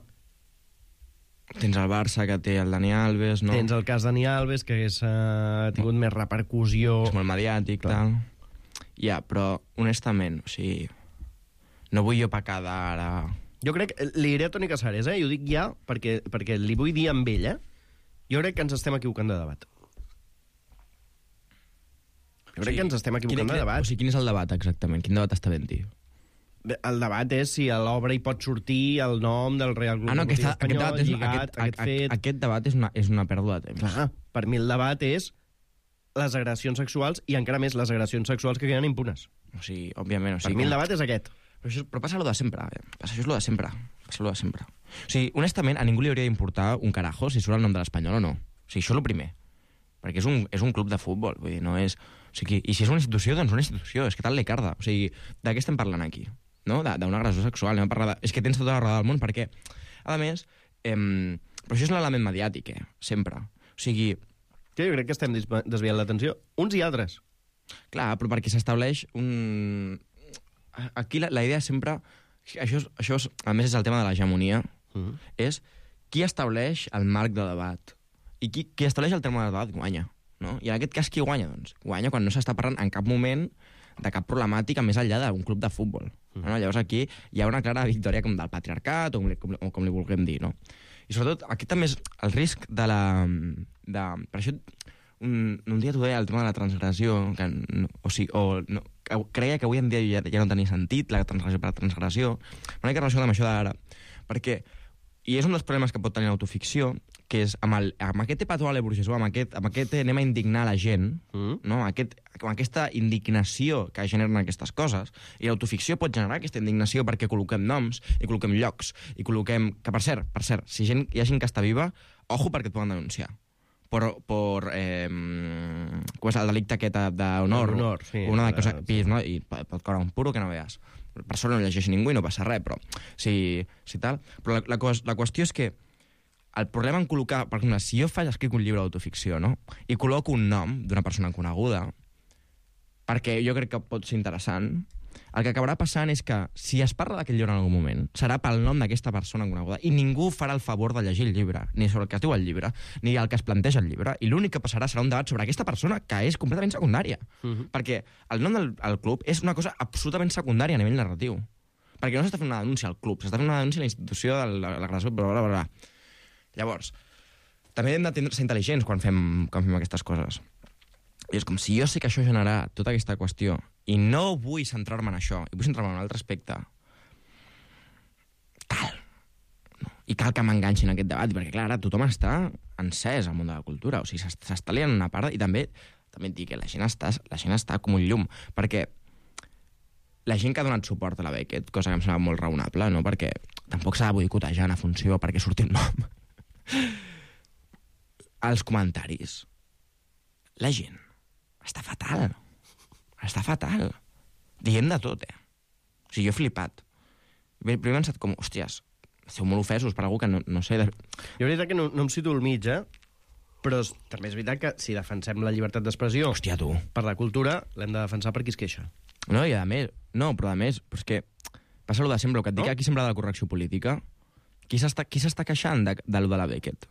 Tens el Barça, que té el Dani Alves, no? Tens el cas Dani Alves, que hagués uh, tingut no. més repercussió... És molt mediàtic, clar. Tal. Ja, però, honestament, o sigui... No vull jo pecar d'ara... Jo crec... Li diré a Toni Casares, eh? I ho dic ja perquè, perquè li vull dir amb ell, eh? Jo crec que ens estem equivocant de debat. Jo crec o sigui, que ens estem equivocant quin, de debat. O sigui, quin és el debat, exactament? Quin debat està ben dit? El debat és si a l'obra hi pot sortir el nom del Real Club ah, no, Deportiu Espanyol, aquest, lligat, aquest, aquest fet... Aquest debat és una, és una pèrdua de temps. Clar, per mi el debat és les agressions sexuals, i encara més les agressions sexuals que queden impunes. O sigui, òbviament... O sigui, per mi el debat és aquest. Però, això, però passa allò de sempre. Eh? Passa, això és allò de sempre. Passa allò de sempre. O sigui, honestament, a ningú li hauria d'importar un carajo si surt el nom de l'Espanyol o no. O sigui, això és el primer. Perquè és un, és un club de futbol, vull dir, no és... O sigui, i si és una institució, doncs una institució. És que tal le carda. O sigui, de què estem parlant aquí? No? D'una agressió sexual. Anem a parlar de... És que tens tota la roda del món, perquè, a més, eh, però això és l'element mediàtic, eh? Sempre. O sigui... Jo crec que estem desviant l'atenció, uns i altres. Clar, però perquè s'estableix un... Aquí la, la idea sempre... Això, és, això és, a més, és el tema de l'hegemonia. Uh-huh. És qui estableix el marc de debat. I qui, qui estableix el terme de debat guanya. No? I en aquest cas, qui guanya? Doncs guanya quan no s'està parlant en cap moment de cap problemàtica més enllà d'un club de futbol. Mm. No? Llavors aquí hi ha una clara victòria com del patriarcat o com, com, o com li vulguem dir. No? I sobretot, aquí també és el risc de la... De, per això, un, un dia t'ho deia, el tema de la transgressió, que, o sigui, o, no, que creia que avui en dia ja, ja no tenia sentit la transgressió per la transgressió, una mica relacionada amb això d'ara, perquè, i és un dels problemes que pot tenir l'autoficció, que és amb, el, amb aquest epatoale burgesó, amb aquest, amb aquest anem a indignar la gent, mm. no? aquest, amb aquesta indignació que generen aquestes coses, i l'autoficció pot generar aquesta indignació perquè col·loquem noms, i col·loquem llocs, i col·loquem... Que, per cert, per cert, si gent, hi ha gent que està viva, ojo perquè et poden denunciar. Per, per eh, com és el delicte aquest d'honor, sí, una de cosa, sí. No? I pot caure un puro que no veus. Per sort no llegeix ningú i no passa res, però si, si tal... Però la, la, la qüestió és que el problema en col·locar... Per exemple, si jo faig, escric un llibre d'autoficció, no? I col·loco un nom d'una persona coneguda, perquè jo crec que pot ser interessant, el que acabarà passant és que, si es parla d'aquest llibre en algun moment, serà pel nom d'aquesta persona coneguda, i ningú farà el favor de llegir el llibre, ni sobre el que es diu el llibre, ni el que es planteja el llibre, i l'únic que passarà serà un debat sobre aquesta persona, que és completament secundària. Uh-huh. Perquè el nom del el club és una cosa absolutament secundària a nivell narratiu. Perquè no s'està fent una denúncia al club, s'està fent una denúncia a la institució de l'agressió, bla, bla, bla. Llavors, també hem de ser intel·ligents quan fem, quan fem aquestes coses. I és com si jo sé que això generarà tota aquesta qüestió i no vull centrar-me en això, i vull centrar-me en un altre aspecte, cal. No. I cal que m'enganxin en aquest debat, perquè, clar, ara tothom està encès al món de la cultura. O sigui, s'està liant una part, i també també et dic que la gent està, la gent està com un llum, perquè la gent que ha donat suport a la Beckett, cosa que em sembla molt raonable, no? Perquè tampoc s'ha de boicotejar en funció perquè surti un nom. Els comentaris. La gent està fatal. Està fatal. Diem de tot, eh? O sigui, jo he flipat. Primer he pensat com, hòsties, esteu molt ofesos per algú que no, no sé... De... Jo veritat que no, no em situo al mig, eh? Però també és veritat que si defensem la llibertat d'expressió... Hòstia, tu. Per la cultura, l'hem de defensar per qui es queixa. No, i a més... No, però a més, però és que... Passa allò de sempre, el que et dic, no? Aquí sembla de la correcció política. Qui s'està qui s'està queixant de, de lo de la Beckett?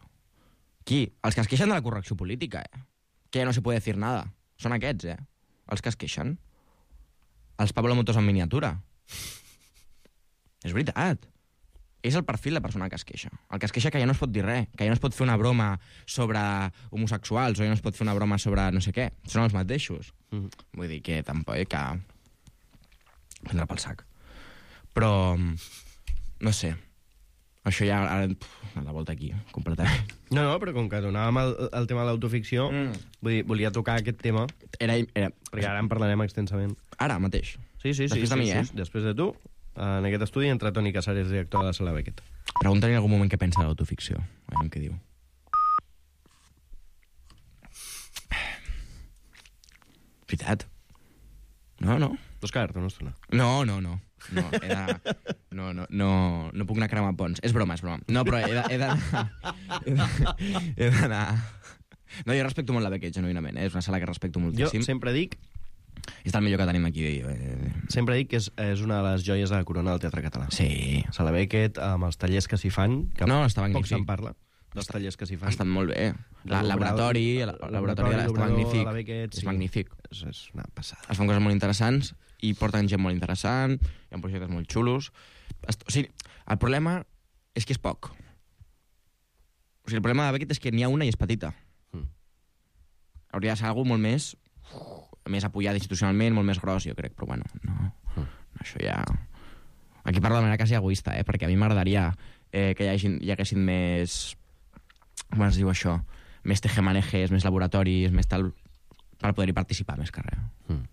Qui? Els que es queixen de la correcció política, eh? Que ja no se puede decir nada. Són aquests, eh? Els que es queixen. Els Pablo Motos en miniatura. És veritat. És el perfil de persona que es queixa. El que es queixa que ja no es pot dir res, que ja no es pot fer una broma sobre homosexuals o ja no es pot fer una broma sobre no sé què. Són els mateixos. Mm. Vull dir que tampoc... Que... prendre pel sac. Però, no sé, això ja ara, puf, a la volta aquí, completament. No, no, però com que donàvem el, el tema de l'autoficció, mm. vull dir, volia tocar aquest tema, era, era... perquè ara en parlarem extensament. Ara mateix? Sí, sí, sí. Després sí, de mi, sí, eh? Sí. Després de tu, en aquest estudi entra Toni Casares, director de la Sala Beckett. Pregunta-li en algun moment què pensa de l'autoficció. A veure què diu. Veritat. No, no. Vols quedar-te una estona? No, no, no. No, he de... no, no, no, no puc anar a cremar ponts. És broma, és broma. No, però he d'anar... He d'anar... No, jo respecto molt la Beckett, genuïnament. Eh? És una sala que respecto moltíssim. Jo sempre dic... És el millor que tenim aquí. Eh... Sempre dic que és, és una de les joies de la corona del teatre català. Sí. Sala Beckett, amb els tallers que s'hi fan, que no, està poc se'n parla, dels tallers que s'hi fan. Ha estat molt bé. El laboratori, el laboratori està magnífic. Beckett, és sí. magnífic. És, és una passada. Es fan coses molt interessants i porten gent molt interessant, hi ha projectes molt xulos. O sigui, el problema és que és poc. O sigui, el problema de Beckett és que n'hi ha una i és petita. Mm. Hauria de ser alguna molt més, més apoyada institucionalment, molt més gros, jo crec, però bueno, no. Mm. Això ja... Aquí parlo de manera quasi egoista, eh? Perquè a mi m'agradaria eh, que hi, hagi, hi haguessin més... Com es diu això? Més tejemanejes, més laboratoris, més tal... per poder-hi participar més que res. Mm.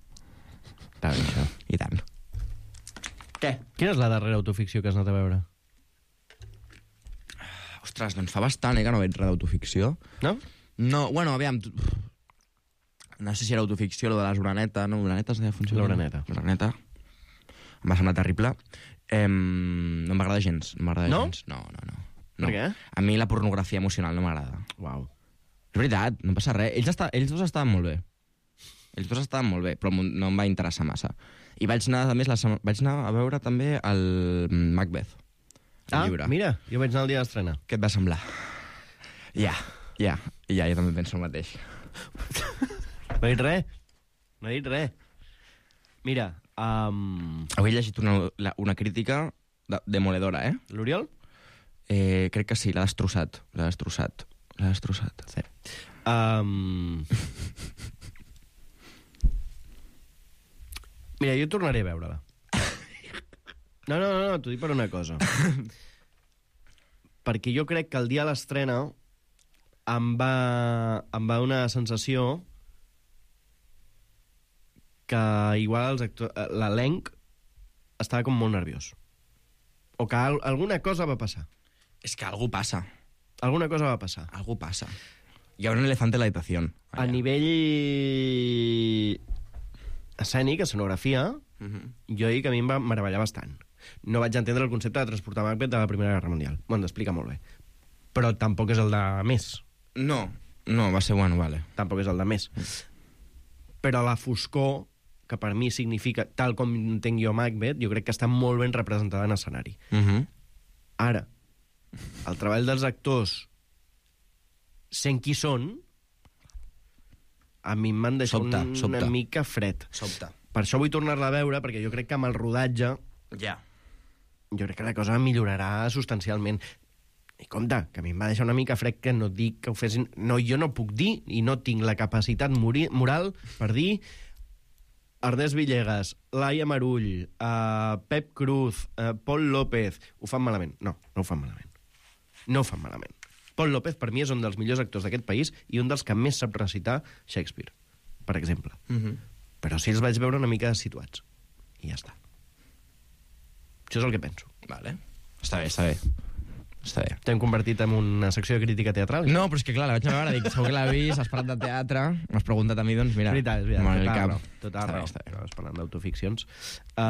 Està bé, això. I tant. Què? Quina és la darrera autoficció que has anat a veure? Ostres, doncs fa bastant, eh, que no veig res d'autoficció. No? No, bueno, aviam... No sé si era autoficció, lo de les Uraneta, no? Uraneta es deia funcionar? L'Uraneta. L'Uraneta. Em va semblar terrible. Eh, no m'agrada gens. No m'agrada no? gens. No, no, no. Per no. què? A mi la pornografia emocional no m'agrada. Uau. És veritat, no passa res. Ells, està, ells dos estaven molt bé. Ells dos estaven molt bé, però no em va interessar massa. I vaig anar, a més, la sema... vaig anar a veure també el Macbeth. El ah, llibre. Mira, jo vaig anar el dia d'estrena. Què et va semblar? Ja, ja, ja, jo també penso el mateix. No he dit res. No he dit res. Mira, um... avui he llegit una, una crítica de, demoledora, eh? L'Oriol? Eh, crec que sí, l'ha destrossat. L'ha destrossat. L'ha destrossat. Sí. Um... Mira, jo tornaré a veure-la. No, no, no, no t'ho dic per una cosa. Perquè jo crec que el dia de l'estrena em va, em va una sensació que igual l'elenc estava com molt nerviós. O que al alguna cosa va passar. És que algú passa. Alguna cosa va passar. Algú passa. Hi ha un elefante en la habitación. A nivell escènic, escenografia, uh -huh. jo dic que a mi em va meravellar bastant. No vaig entendre el concepte de transportar Macbeth de la Primera Guerra Mundial. M'ho han d'explicar molt bé. Però tampoc és el de més. No, no, va ser bueno, vale. Tampoc és el de més. Però la foscor, que per mi significa, tal com entenc jo Macbeth, jo crec que està molt ben representada en escenari. Uh -huh. Ara, el treball dels actors, sent qui són, a mi m'han deixat sobta, un, sobta. una mica fred. Sobta. Per això vull tornar-la a veure, perquè jo crec que amb el rodatge... Ja. Jo crec que la cosa millorarà substancialment. I compte, que a mi em va deixar una mica fred que no dic que ho fessin... No, jo no puc dir, i no tinc la capacitat moral per dir... Ernest Villegas, Laia Marull, uh, Pep Cruz, uh, Pol López... Ho fan malament. No, no ho fan malament. No ho fan malament. Pol López, per mi, és un dels millors actors d'aquest país i un dels que més sap recitar Shakespeare, per exemple. Uh -huh. Però sí els vaig veure una mica situats. I ja està. Això és el que penso. Vale. Està bé, està bé. Està bé. T'hem convertit en una secció de crítica teatral? No, però és que clar, la vaig a veure, dic, segur que l'ha vist, has parlat de teatre, m'has preguntat a mi, doncs mira... És veritat, és veritat, tot tot cap. raó. Tot Està raó. bé, està bé. Estaves parlant d'autoficcions. Uh,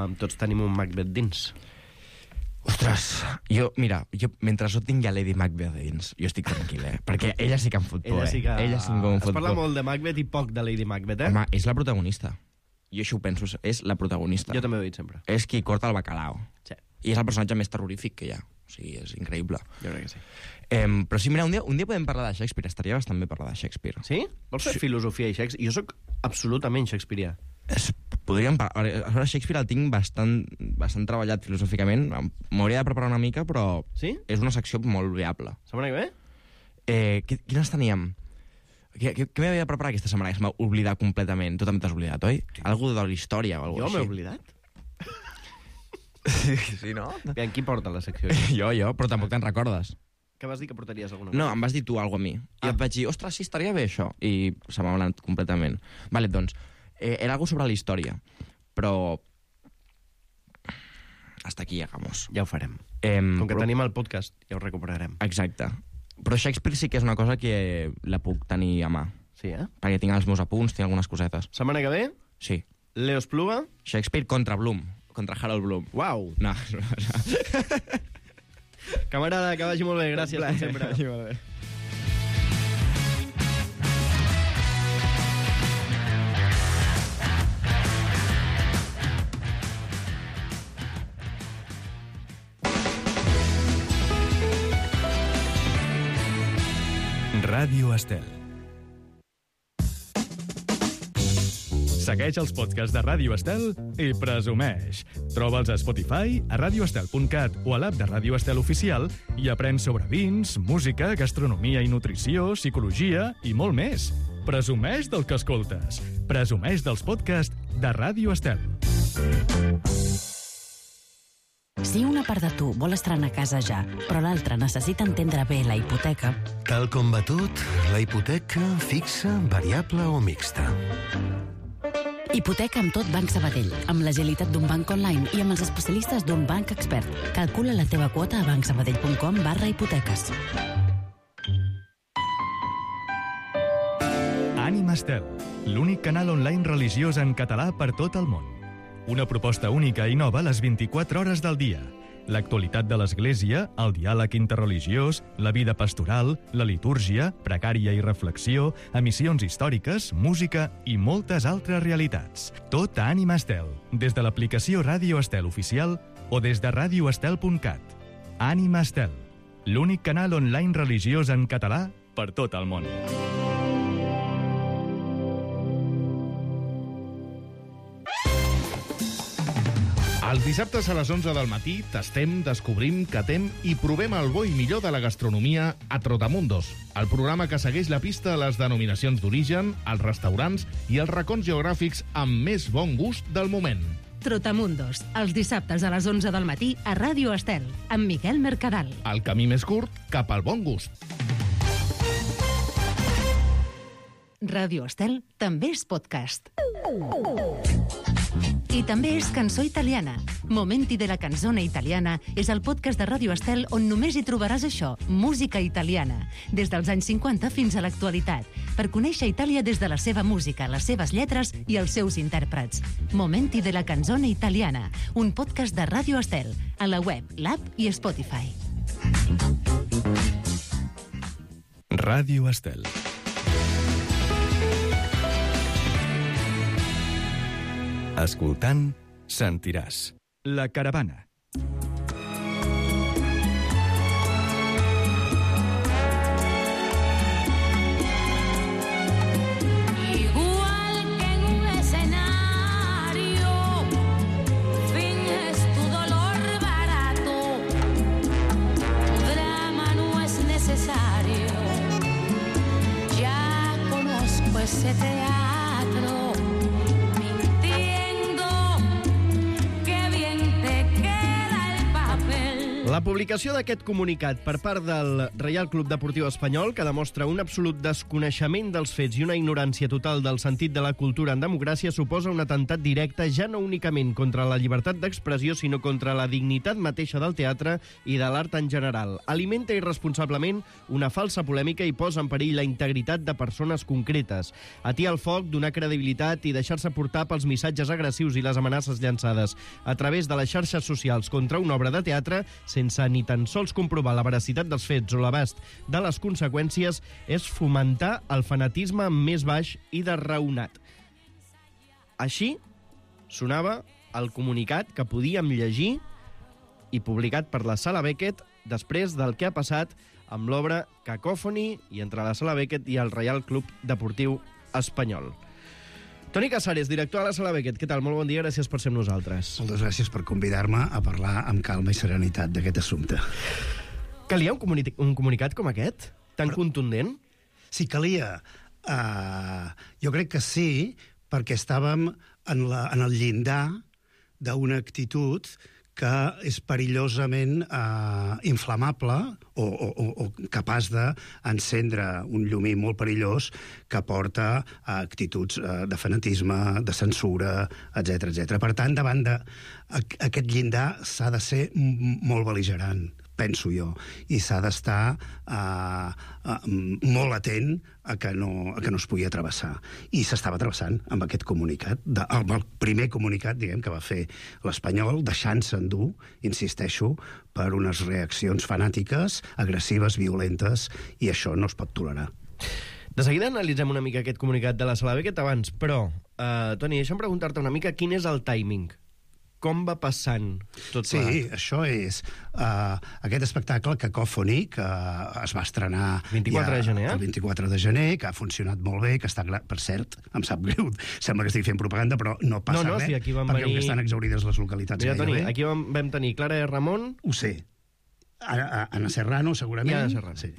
mm. Tots tenim un Macbeth dins. Ostres, jo, mira, jo, mentre no tingui a Lady Macbeth dins, jo estic tranquil, eh? Perquè ella sí que em fot por, Ella sí que... eh? Ella sí que em fot Es parla por. molt de Macbeth i poc de Lady Macbeth, eh? Home, és la protagonista. Jo això ho penso, és la protagonista. Jo també ho he dit sempre. És qui corta el bacalao. Sí. I és el personatge més terrorífic que hi ha. O sigui, és increïble. Jo crec que sí. Eh, però sí, mira, un dia, un dia podem parlar de Shakespeare. Estaria bastant bé parlar de Shakespeare. Sí? Vols fer Sí. filosofia i Shakespeare? Jo sóc absolutament shakespearià. Es, podríem parlar... A veure, Shakespeare el tinc bastant, bastant treballat filosòficament. M'hauria de preparar una mica, però sí? És una secció molt viable. Setmana que ve? Eh, quines teníem? Què, què, què m'havia de preparar aquesta setmana? Que se m'ha oblidat completament. Tu també t'has oblidat, oi? Sí. Algú de la història o alguna Jo així. m'he oblidat? Sí, sí, no? Bien, qui porta la secció? Jo, jo, però tampoc te'n recordes. Que vas dir que portaries alguna cosa? No, em vas dir tu alguna a mi. I et vaig dir, ostres, sí, estaria bé això. I se m'ha anat completament. Vale, doncs, eh, era algo sobre la història, però... Hasta aquí llegamos. Ja ho farem. Eh, Com que però... tenim el podcast, ja ho recuperarem. Exacte. Però Shakespeare sí que és una cosa que la puc tenir a mà. Sí, eh? Perquè tinc els meus apunts, tinc algunes cosetes. Setmana que ve? Sí. Leo Espluga? Shakespeare contra Bloom. Contra Harold Bloom. Uau! No, no, no. Camarada, que vagi molt bé. Gràcies, com sempre. Que vagi molt bé. Ràdio Estel. Segueix els podcasts de Ràdio Estel i presumeix. Troba'ls a Spotify, a radioestel punt cat o a l'app de Ràdio Estel Oficial i aprèn sobre vins, música, gastronomia i nutrició, psicologia i molt més. Presumeix del que escoltes. Presumeix dels podcasts de Ràdio Estel. Si una part de tu vol estrenar casa ja, però l'altra necessita entendre bé la hipoteca... Tal com va tot, la hipoteca fixa, variable o mixta. Hipoteca amb tot Banc Sabadell, amb l'agilitat d'un banc online i amb els especialistes d'un banc expert. Calcula la teva quota a bancsabadell punt com barra hipoteques. Ànima Estel, l'únic canal online religiós en català per tot el món. Una proposta única i nova a les vint-i-quatre hores del dia. L'actualitat de l'Església, el diàleg interreligiós, la vida pastoral, la litúrgia, precària i reflexió, emissions històriques, música i moltes altres realitats. Tot a Ànima Estel, des de l'aplicació Ràdio Estel Oficial o des de radioestel punt cat. Ànima Estel, l'únic canal online religiós en català per tot el món. Els dissabtes a les onze del matí tastem, descobrim, catem i provem el bo i millor de la gastronomia a Trotamundos, el programa que segueix la pista a les denominacions d'origen, els restaurants i els racons geogràfics amb més bon gust del moment. Trotamundos, els dissabtes a les onze del matí a Ràdio Estel, amb Miquel Mercadal. El camí més curt cap al bon gust. Ràdio Estel també és podcast. I també és cançó italiana. Momenti de la canzone italiana és el podcast de Ràdio Estel on només hi trobaràs això, música italiana, des dels anys cinquanta fins a l'actualitat, per conèixer Itàlia des de la seva música, les seves lletres i els seus intèrprets. Momenti de la canzone italiana, un podcast de Ràdio Estel, a la web, l'app i Spotify. Ràdio Estel. Escoltant, sentiràs. La caravana. Igual que en un escenario, finges tu dolor barato. Tu drama no es necesario. Ya conozco ese teatro. La publicació d'aquest comunicat per part del Reial Club Deportiu Espanyol, que demostra un absolut desconeixement dels fets i una ignorància total del sentit de la cultura en democràcia, suposa un atemptat directe ja no únicament contra la llibertat d'expressió, sinó contra la dignitat mateixa del teatre i de l'art en general. Alimenta irresponsablement una falsa polèmica i posa en perill la integritat de persones concretes. Atia el foc, donar credibilitat i deixar-se portar pels missatges agressius i les amenaces llançades a través de les xarxes socials contra una obra de teatre sense ni tan sols comprovar la veracitat dels fets o l'abast de les conseqüències, és fomentar el fanatisme més baix i desraonat. Així sonava el comunicat que podíem llegir i publicat per la Sala Beckett després del que ha passat amb l'obra Cacòfoni i entre la Sala Beckett i el Reial Club Deportiu Espanyol. Toni Casares, director de la Sala Beckett, què tal? Molt bon dia, gràcies per ser amb nosaltres. Moltes gràcies per convidar-me a parlar amb calma i serenitat d'aquest assumpte. Calia un, comuni un comunicat com aquest? Tan Però... contundent? Sí, calia. Uh, jo crec que sí, perquè estàvem en, la, en el llindar d'una actitud que és perillosament eh, inflamable o, o, o, o capaç d'encendre un llumí molt perillós que porta a actituds eh, de fanatisme, de censura, etcètera, etcètera. Per tant, davant d'aquest llindar s'ha de ser molt bel·ligerant, penso jo, i s'ha d'estar uh, uh, molt atent a que, no, a que no es pugui atrevessar. I s'estava travessant amb aquest comunicat, de, amb el primer comunicat, diguem, que va fer l'Espanyol, deixant-se endur, insisteixo, per unes reaccions fanàtiques, agressives, violentes, i això no es pot tolerar. De seguida analitzem una mica aquest comunicat de la Sala Beckett abans, però, uh, Toni, deixa'm preguntar-te una mica quin és el timing. Com va passant tot sí, plat? Sí, això és uh, aquest espectacle Cacòfoni, que es va estrenar vint-i-quatre de gener, el vint-i-quatre de gener, que ha funcionat molt bé, que està, per cert, em sap greu, sembla que estic fent propaganda, però no passa no, no, res, si aquí van perquè venir... estan exaurides les localitats Mira, gairebé. Toni, aquí vam, vam tenir Clara de Ramon... Ho sé. Anna Serrano, segurament. I Anna Serrano. Sí.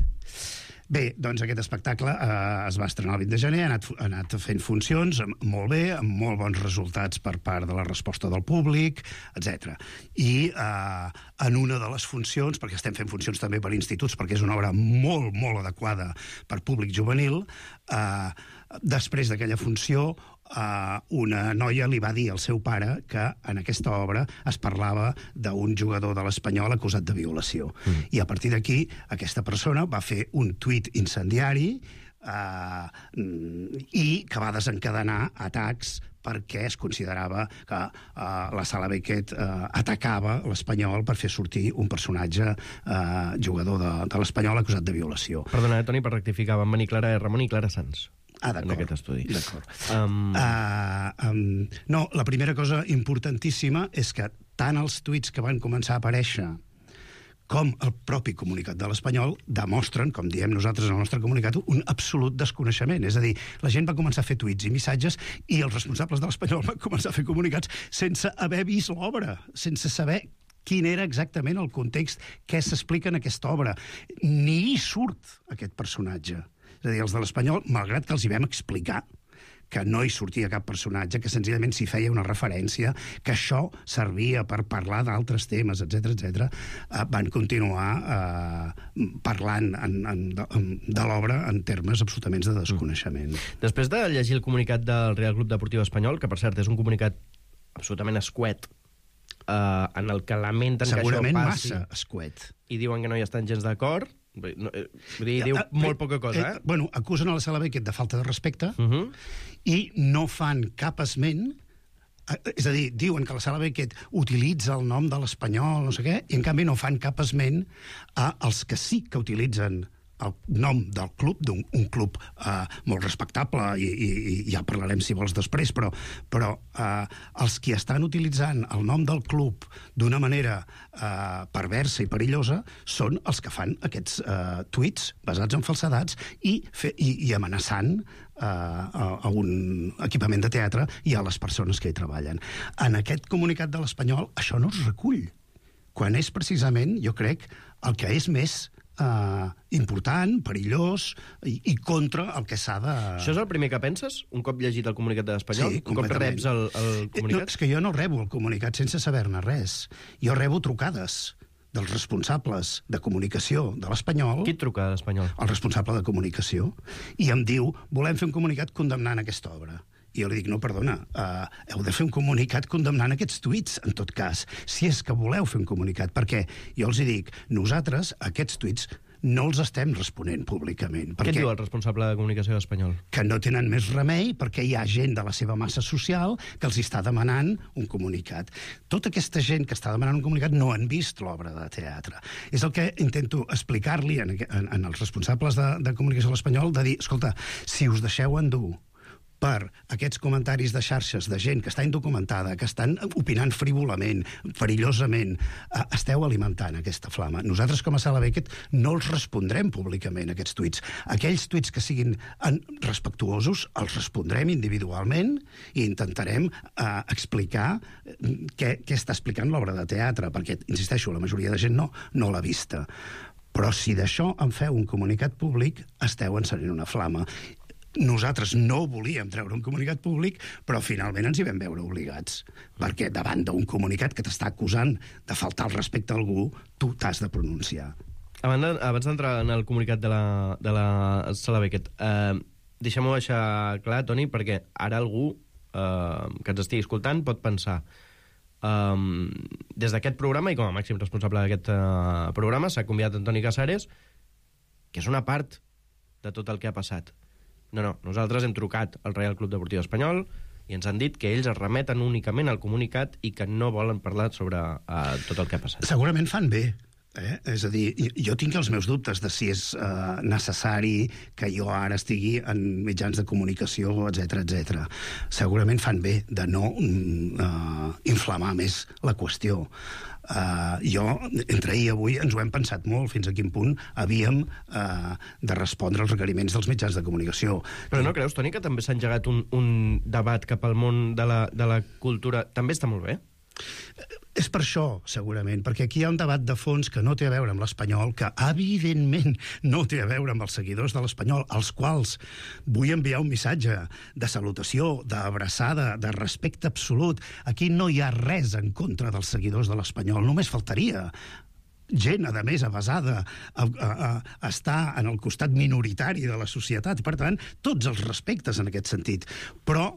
Bé, doncs aquest espectacle eh, es va estrenar el vint de gener, ha anat, ha anat fent funcions molt bé, amb molt bons resultats per part de la resposta del públic, etcètera. I eh, en una de les funcions, perquè estem fent funcions també per instituts, perquè és una obra molt, molt adequada per públic juvenil, eh, després d'aquella funció, Uh, una noia li va dir al seu pare que en aquesta obra es parlava d'un jugador de l'Espanyol acusat de violació. Mm. I a partir d'aquí, aquesta persona va fer un tuit incendiari uh, i que va desencadenar atacs perquè es considerava que uh, la Sala Beckett uh, atacava l'Espanyol per fer sortir un personatge uh, jugador de, de l'Espanyol acusat de violació. Perdona, eh, Toni, per rectificar, van venir Clara de Ramon i Clara Sanz. Ah, d'acord. En aquest estudi. D'acord. Um... Uh, um, no, la primera cosa importantíssima és que tant els tuits que van començar a aparèixer com el propi comunicat de l'Espanyol demostren, com diem nosaltres en el nostre comunicat, un absolut desconeixement. És a dir, la gent va començar a fer tuits i missatges i els responsables de l'Espanyol van començar a fer comunicats sense haver vist l'obra, sense saber quin era exactament el context, què s'explica en aquesta obra. Ni hi surt aquest personatge. És a dir, els de l'Espanyol, malgrat que els hi vam explicar que no hi sortia cap personatge, que senzillament s'hi feia una referència, que això servia per parlar d'altres temes, etcètera, etcètera, eh, van continuar eh, parlant en, en, de, de l'obra en termes absolutament de desconeixement. Després de llegir el comunicat del Real Club Deportiu Espanyol, que per cert és un comunicat absolutament escuet, eh, en el que lamenten segurament que això passi... Segurament massa escuet. I diuen que no hi estan gens d'acord... No, eh, vull dir, diu molt poca cosa, eh? eh? Bueno, acusen a la Sala Beckett de falta de respecte uh -huh. i no fan cap esment, eh, és a dir, diuen que la Sala Beckett utilitza el nom de l'Espanyol, no sé què, i en canvi no fan cap esment a els que sí que utilitzen el nom del club, d'un un club eh, molt respectable, i, i, i ja parlarem si vols després, però, però eh, els que estan utilitzant el nom del club d'una manera eh, perversa i perillosa són els que fan aquests eh, tuits basats en falsedats i, fe, i, i amenaçant eh, a, a un equipament de teatre i a les persones que hi treballen. En aquest comunicat de l'Espanyol això no es recull, quan és precisament, jo crec, el que és més Uh, important, perillós i, i contra el que s'ha de... Això és el primer que penses, un cop llegit el comunicat de l'Espanyol? Sí, un cop reps el, el comunicat? No, és que jo no rebo el comunicat sense saber-ne res. Jo rebo trucades dels responsables de comunicació de l'Espanyol... Qui et truca de l'Espanyol? El responsable de comunicació. I em diu, volem fer un comunicat condemnant aquesta obra. I jo li dic, no, perdona, uh, heu de fer un comunicat condemnant aquests tuits, en tot cas, si és que voleu fer un comunicat, perquè jo els hi dic, nosaltres, aquests tuits, no els estem responent públicament. Què et diu el responsable de comunicació espanyol? Que no tenen més remei perquè hi ha gent de la seva massa social que els està demanant un comunicat. Tota aquesta gent que està demanant un comunicat no han vist l'obra de teatre. És el que intento explicar-li en, en, en els responsables de, de comunicació de l'Espanyol, de dir, escolta, si us deixeu endur per aquests comentaris de xarxes de gent que està indocumentada, que estan opinant frívolament, perillosament, eh, esteu alimentant aquesta flama. Nosaltres, com a Sala Beckett, no els respondrem públicament, aquests tuits. Aquells tuits que siguin respectuosos els respondrem individualment i intentarem eh, explicar què, què està explicant l'obra de teatre, perquè, insisteixo, la majoria de gent no, no l'ha vista. Però si d'això en feu un comunicat públic, esteu encenent una flama. nosaltres no volíem treure un comunicat públic, però finalment ens hi vam veure obligats, perquè davant d'un comunicat que t'està acusant de faltar el respecte a algú, tu t'has de pronunciar. Abans, abans d'entrar en el comunicat de la, de la Sala Beckett, eh, deixem-ho deixar clar, Toni, perquè ara algú eh, que ens estigui escoltant pot pensar Um, des d'aquest programa, i com a màxim responsable d'aquest uh, programa, s'ha convidat Antoni Casares, que és una part de tot el que ha passat. No, no, nosaltres hem trucat al Reial Club Deportiu Espanyol i ens han dit que ells es remeten únicament al comunicat i que no volen parlar sobre uh, tot el que ha passat. Segurament fan bé. Eh? És a dir, jo tinc els meus dubtes de si és eh, necessari que jo ara estigui en mitjans de comunicació, etcètera, etcètera. Segurament fan bé de no eh, inflamar més la qüestió. Uh, jo, entre ahir i avui, ens ho hem pensat molt, fins a quin punt havíem uh, de respondre als requeriments dels mitjans de comunicació. Però no creus, Toni, que també s'ha engegat un, un debat cap al món de la, de la cultura? També està molt bé? És per això, segurament, perquè aquí hi ha un debat de fons que no té a veure amb l'Espanyol, que evidentment no té a veure amb els seguidors de l'Espanyol, als quals vull enviar un missatge de salutació, d'abraçada, de respecte absolut. Aquí no hi ha res en contra dels seguidors de l'Espanyol, només faltaria. Gent, a més, avasada a, a, a estar en el costat minoritari de la societat. Per tant, tots els respectes en aquest sentit. Però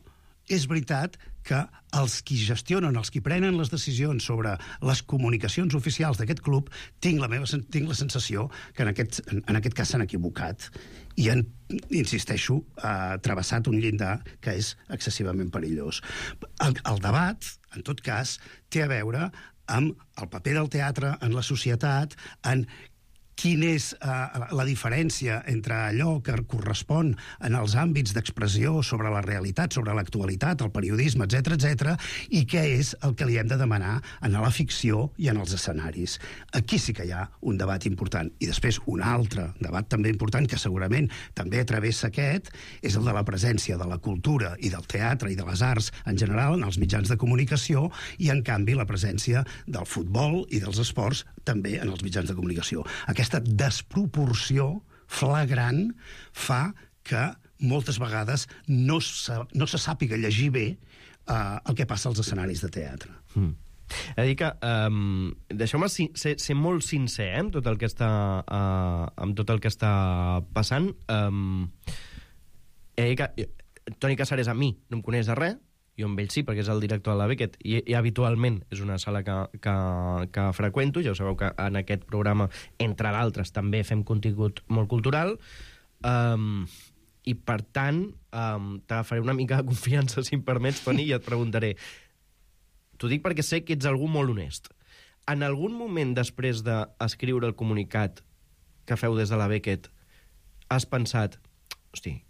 és veritat que els qui gestionen, els qui prenen les decisions sobre les comunicacions oficials d'aquest club, tinc la, meva, tinc la sensació que en aquest, en aquest cas s'han equivocat i han, insisteixo, eh, travessat un llindar que és excessivament perillós. El, el debat, en tot cas, té a veure amb el paper del teatre en la societat, en quina és uh, la diferència entre allò que correspon en els àmbits d'expressió sobre la realitat, sobre l'actualitat, el periodisme, etcètera, etcètera, i què és el que li hem de demanar en la ficció i en els escenaris. Aquí sí que hi ha un debat important. I després un altre debat també important, que segurament també travessa aquest, és el de la presència de la cultura i del teatre i de les arts en general en els mitjans de comunicació i, en canvi, la presència del futbol i dels esports també en els mitjans de comunicació. Aquesta Aquesta desproporció flagrant fa que moltes vegades no se, no se sàpiga llegir bé uh, el que passa als escenaris de teatre. Mm. He de dir que, um, deixeu-me ser, ser molt sincer eh, amb, tot el que està, uh, amb tot el que està passant. Um, he de dir que Toni Casares a mi no em coneix de res, jo amb ell sí, perquè és el director de la Beckett, i, i habitualment és una sala que, que, que freqüento. Ja ho sabeu que en aquest programa, entre d'altres, també fem contingut molt cultural, um, i per tant um, t'agafaré una mica de confiança, si em permets, Toni, i et preguntaré. T'ho dic perquè sé que ets algú molt honest. En algun moment després d'escriure el comunicat que feu des de la Beckett, has pensat, hosti,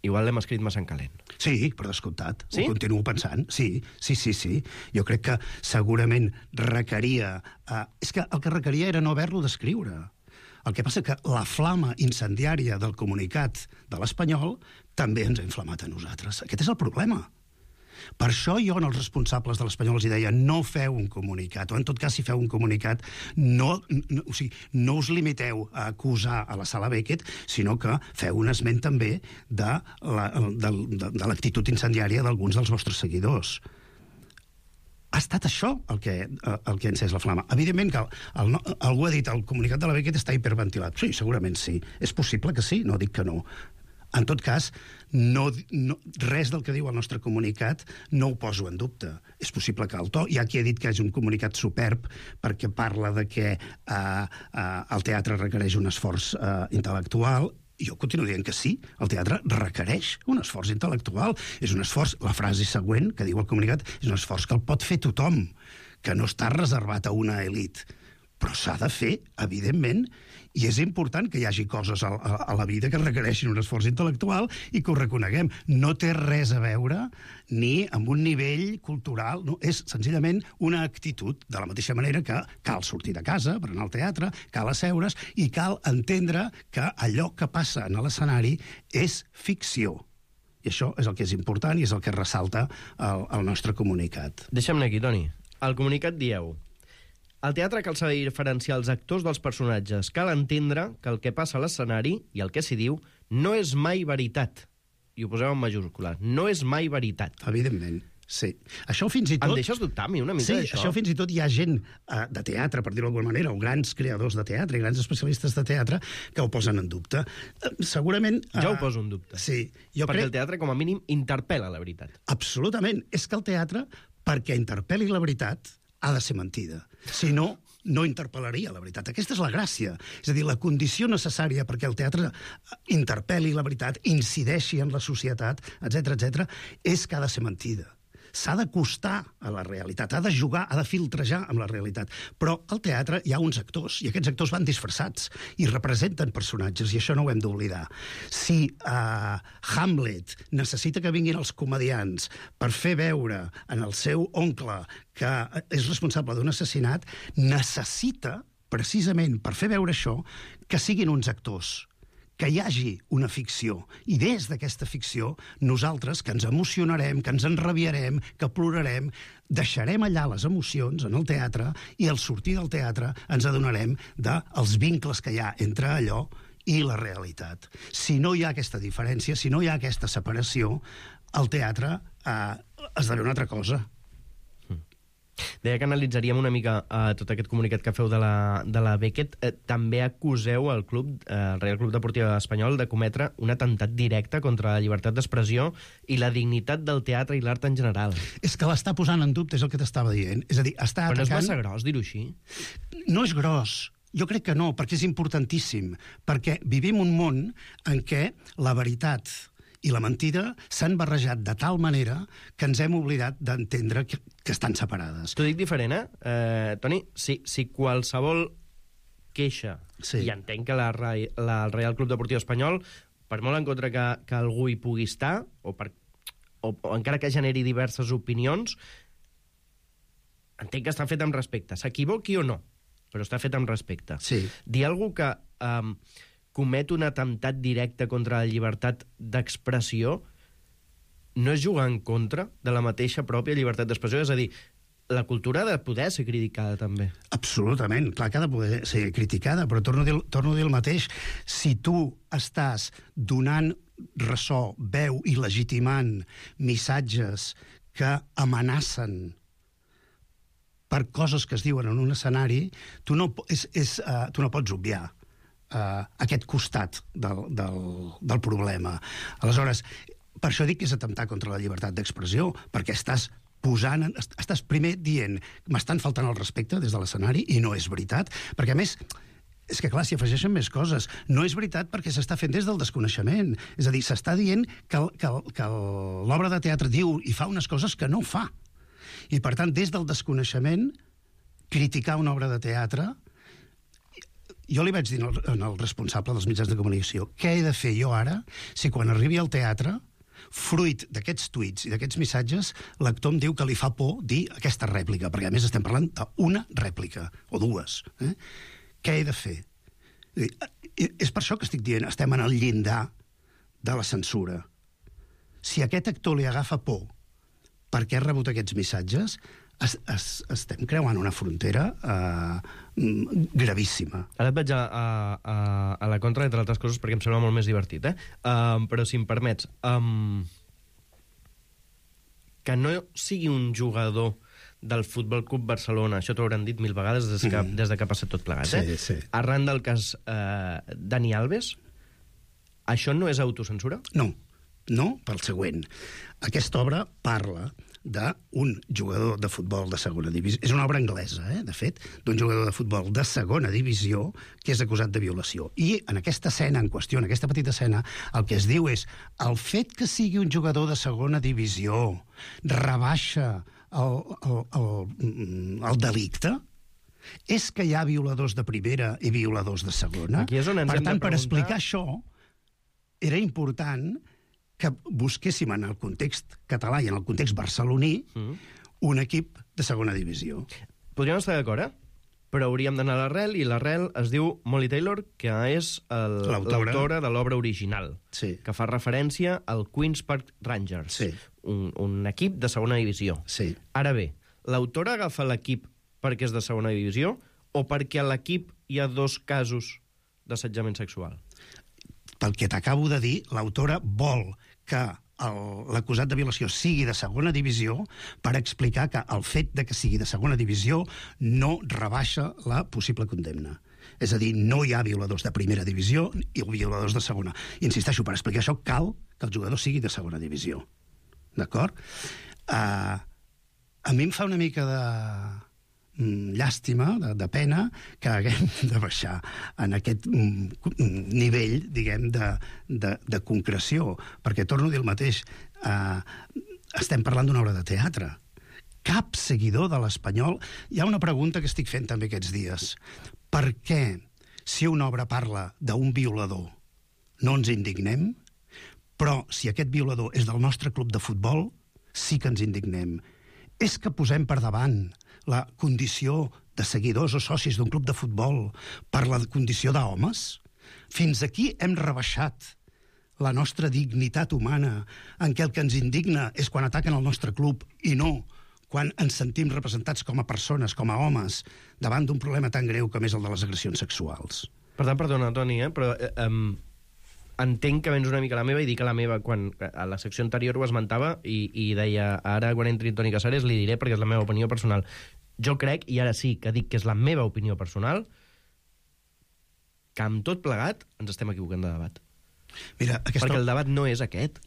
igual l'hem escrit massa en calent? Sí, per descomptat. Sí? Ho continuo pensant. Sí, sí, sí, sí. Jo crec que segurament requeria... Uh, és que el que requeria era no haver-lo d'escriure. El que passa que la flama incendiària del comunicat de l'Espanyol també ens ha inflamat a nosaltres. Aquest és el problema. Per això jo als responsables de l'Espanyol els deia no feu un comunicat, o en tot cas si feu un comunicat no, no, o sigui, no us limiteu a acusar a la Sala Beckett, sinó que feu un esment també de, la, de, de, de l'actitud incendiària d'alguns dels vostres seguidors. Ha estat això el que, el que ha encès la flama. Evidentment que el, el, algú ha dit el comunicat de la Beckett està hiperventilat. Sí, segurament sí. És possible que sí, no dic que no. En tot cas, no, no, res del que diu el nostre comunicat no ho poso en dubte. És possible que el to... Hi ha qui ha dit que és un comunicat superb perquè parla de que eh, eh, el teatre requereix un esforç eh, intel·lectual. Jo continuo dient que sí, el teatre requereix un esforç intel·lectual. És un esforç, la frase següent que diu el comunicat, és un esforç que el pot fer tothom, que no està reservat a una elit. Però s'ha de fer, evidentment, i és important que hi hagi coses a, a, a la vida que requereixin un esforç intel·lectual i que ho reconeguem. No té res a veure ni amb un nivell cultural, no? És senzillament una actitud, de la mateixa manera que cal sortir de casa per anar al teatre, cal asseure's i cal entendre que allò que passa en l'escenari és ficció. I això és el que és important i és el que ressalta el, el nostre comunicat. Deixa'm-ne aquí, Toni. Al comunicat dieu: al teatre cal saber diferenciar els actors dels personatges. Cal entendre que el que passa a l'escenari i el que s'hi diu no és mai veritat. I ho poseu en majúscula. No és mai veritat. Evidentment, sí. Això fins i tot... Em deixes dubtar a mi una mica sí, d'això? Sí, això fins i tot hi ha gent uh, de teatre, per dir-ho d'alguna manera, o grans creadors de teatre, i grans especialistes de teatre, que ho posen en dubte. Uh, segurament... Uh, Jo ho poso en dubte. Sí. Jo Perquè crec... el teatre, com a mínim, interpel·la la veritat. Absolutament. És que el teatre, perquè interpel·li la veritat, ha de ser mentida. Si no, no interpel·laria la veritat. Aquesta és la gràcia. És a dir, la condició necessària perquè el teatre interpel·li la veritat, incideixi en la societat, etcètera, etcètera, és que ha de ser mentida. S'ha d'acostar a la realitat, ha de jugar, ha de filtrejar amb la realitat. Però al teatre hi ha uns actors, i aquests actors van disfressats i representen personatges, i això no ho hem d'oblidar. Si uh, Hamlet necessita que vinguin els comediants per fer veure en el seu oncle que és responsable d'un assassinat, necessita, precisament per fer veure això, que siguin uns actors, que hi hagi una ficció. I des d'aquesta ficció, nosaltres, que ens emocionarem, que ens enrabiarem, que plorarem, deixarem allà les emocions en el teatre i al sortir del teatre ens adonarem dels vincles que hi ha entre allò i la realitat. Si no hi ha aquesta diferència, si no hi ha aquesta separació, el teatre eh, esdevé una altra cosa. Deia que analitzaríem una mica uh, tot aquest comunicat que feu de la, de la Beckett. Eh, també acuseu el club, eh, el Real Club Deportiu Espanyol, de cometre un atemptat directe contra la llibertat d'expressió i la dignitat del teatre i l'art en general. És que l'està posant en dubte, és el que t'estava dient. És a dir, està Però atacant... no és massa gros dir-ho així? No és gros. Jo crec que no, perquè és importantíssim. Perquè vivim un món en què la veritat i la mentida s'han barrejat de tal manera que ens hem oblidat d'entendre que, que estan separades. T'ho dic diferent, eh? eh Toni, si, si qualsevol queixa, sí. i entenc que la, la, el Real Club Deportiu Espanyol, per molt en contra que, que algú hi pugui estar, o, per, o, o encara que generi diverses opinions, entenc que està fet amb respecte. S'equivoqui o no, però està fet amb respecte. Sí. Dir algú que... Um, comet un atemptat directe contra la llibertat d'expressió no és jugar en contra de la mateixa pròpia llibertat d'expressió? És a dir, la cultura ha de poder ser criticada, també. Absolutament, clar que ha de poder ser criticada, però torno a dir, torno a dir el mateix. Si tu estàs donant ressò, veu i legitimant missatges que amenacen per coses que es diuen en un escenari, tu no, és, és, uh, tu no pots obviar Uh, aquest costat del, del, del problema. Aleshores, per això dic que és atemptar contra la llibertat d'expressió, perquè estàs posant, estàs primer dient m'estan faltant el respecte des de l'escenari, i no és veritat, perquè a més és que clar, s'hi afegeixen més coses. No és veritat perquè s'està fent des del desconeixement. És a dir, s'està dient que, que, que l'obra de teatre diu i fa unes coses que no fa. I per tant, des del desconeixement, criticar una obra de teatre... Jo li vaig dir al responsable dels mitjans de comunicació què he de fer jo ara si quan arribi al teatre, fruit d'aquests tuits i d'aquests missatges, l'actor em diu que li fa por dir aquesta rèplica, perquè a més estem parlant d'una rèplica, o dues. Eh? Què he de fer? És per això que estic dient, estem en el llindar de la censura. Si a aquest actor li agafa por perquè ha rebut aquests missatges, Es, es, estem creuant una frontera uh, gravíssima. Ara et vaig a, a, a, a la contra, entre altres coses, perquè em sembla molt més divertit, eh? Uh, però si em permets, um, que no sigui un jugador del Futbol Club Barcelona, això t'ho hauran dit mil vegades des que, mm. des de que ha passat tot plegat, sí, eh? Sí. Arran del cas uh, Dani Alves, això no és autocensura? No, no, pel següent. Aquesta obra parla d'un jugador de futbol de segona divisió. És una obra anglesa, eh, de fet, d'un jugador de futbol de segona divisió que és acusat de violació. I en aquesta escena en qüestió, en aquesta petita escena, el que es diu és el fet que sigui un jugador de segona divisió rebaixa el, el, el, el delicte? És que hi ha violadors de primera i violadors de segona? Aquí és on ens per hem tant, de per preguntar... explicar això, era important que busquéssim en el context català i en el context barceloní mm. un equip de segona divisió. Podríem estar d'acord, eh? Però hauríem d'anar a l'arrel, i l'arrel es diu Molly Taylor, que és l'autora de l'obra original, sí. que fa referència al Queen's Park Rangers, sí. un, un equip de segona divisió. Sí. Ara bé, l'autora agafa l'equip perquè és de segona divisió o perquè a l'equip hi ha dos casos d'assetjament sexual? pel que t'acabo de dir, l'autora vol que l'acusat de violació sigui de segona divisió per explicar que el fet de que sigui de segona divisió no rebaixa la possible condemna. És a dir, no hi ha violadors de primera divisió i violadors de segona. Insisteixo, per explicar això cal que el jugador sigui de segona divisió. D'acord? Uh, a mi em fa una mica de mm, llàstima, de, de pena, que haguem de baixar en aquest mm, nivell, diguem, de, de, de concreció, perquè torno a dir el mateix, uh, estem parlant d'una obra de teatre. Cap seguidor de l'Espanyol... Hi ha una pregunta que estic fent també aquests dies. Per què, si una obra parla d'un violador, no ens indignem, però si aquest violador és del nostre club de futbol, sí que ens indignem? És que posem per davant la condició de seguidors o socis d'un club de futbol per la condició d'homes? Fins aquí hem rebaixat la nostra dignitat humana, en què el que ens indigna és quan ataquen el nostre club i no quan ens sentim representats com a persones, com a homes, davant d'un problema tan greu com és el de les agressions sexuals. Per tant, perdona, Toni, eh, però eh, um, entenc que vens una mica la meva i dic que la meva, quan a la secció anterior ho esmentava i, i deia, ara quan entri Toni Casares li diré perquè és la meva opinió personal. Jo crec, i ara sí que dic que és la meva opinió personal, que amb tot plegat ens estem equivocant de debat. Mira, aquesta... Perquè el debat no és aquest.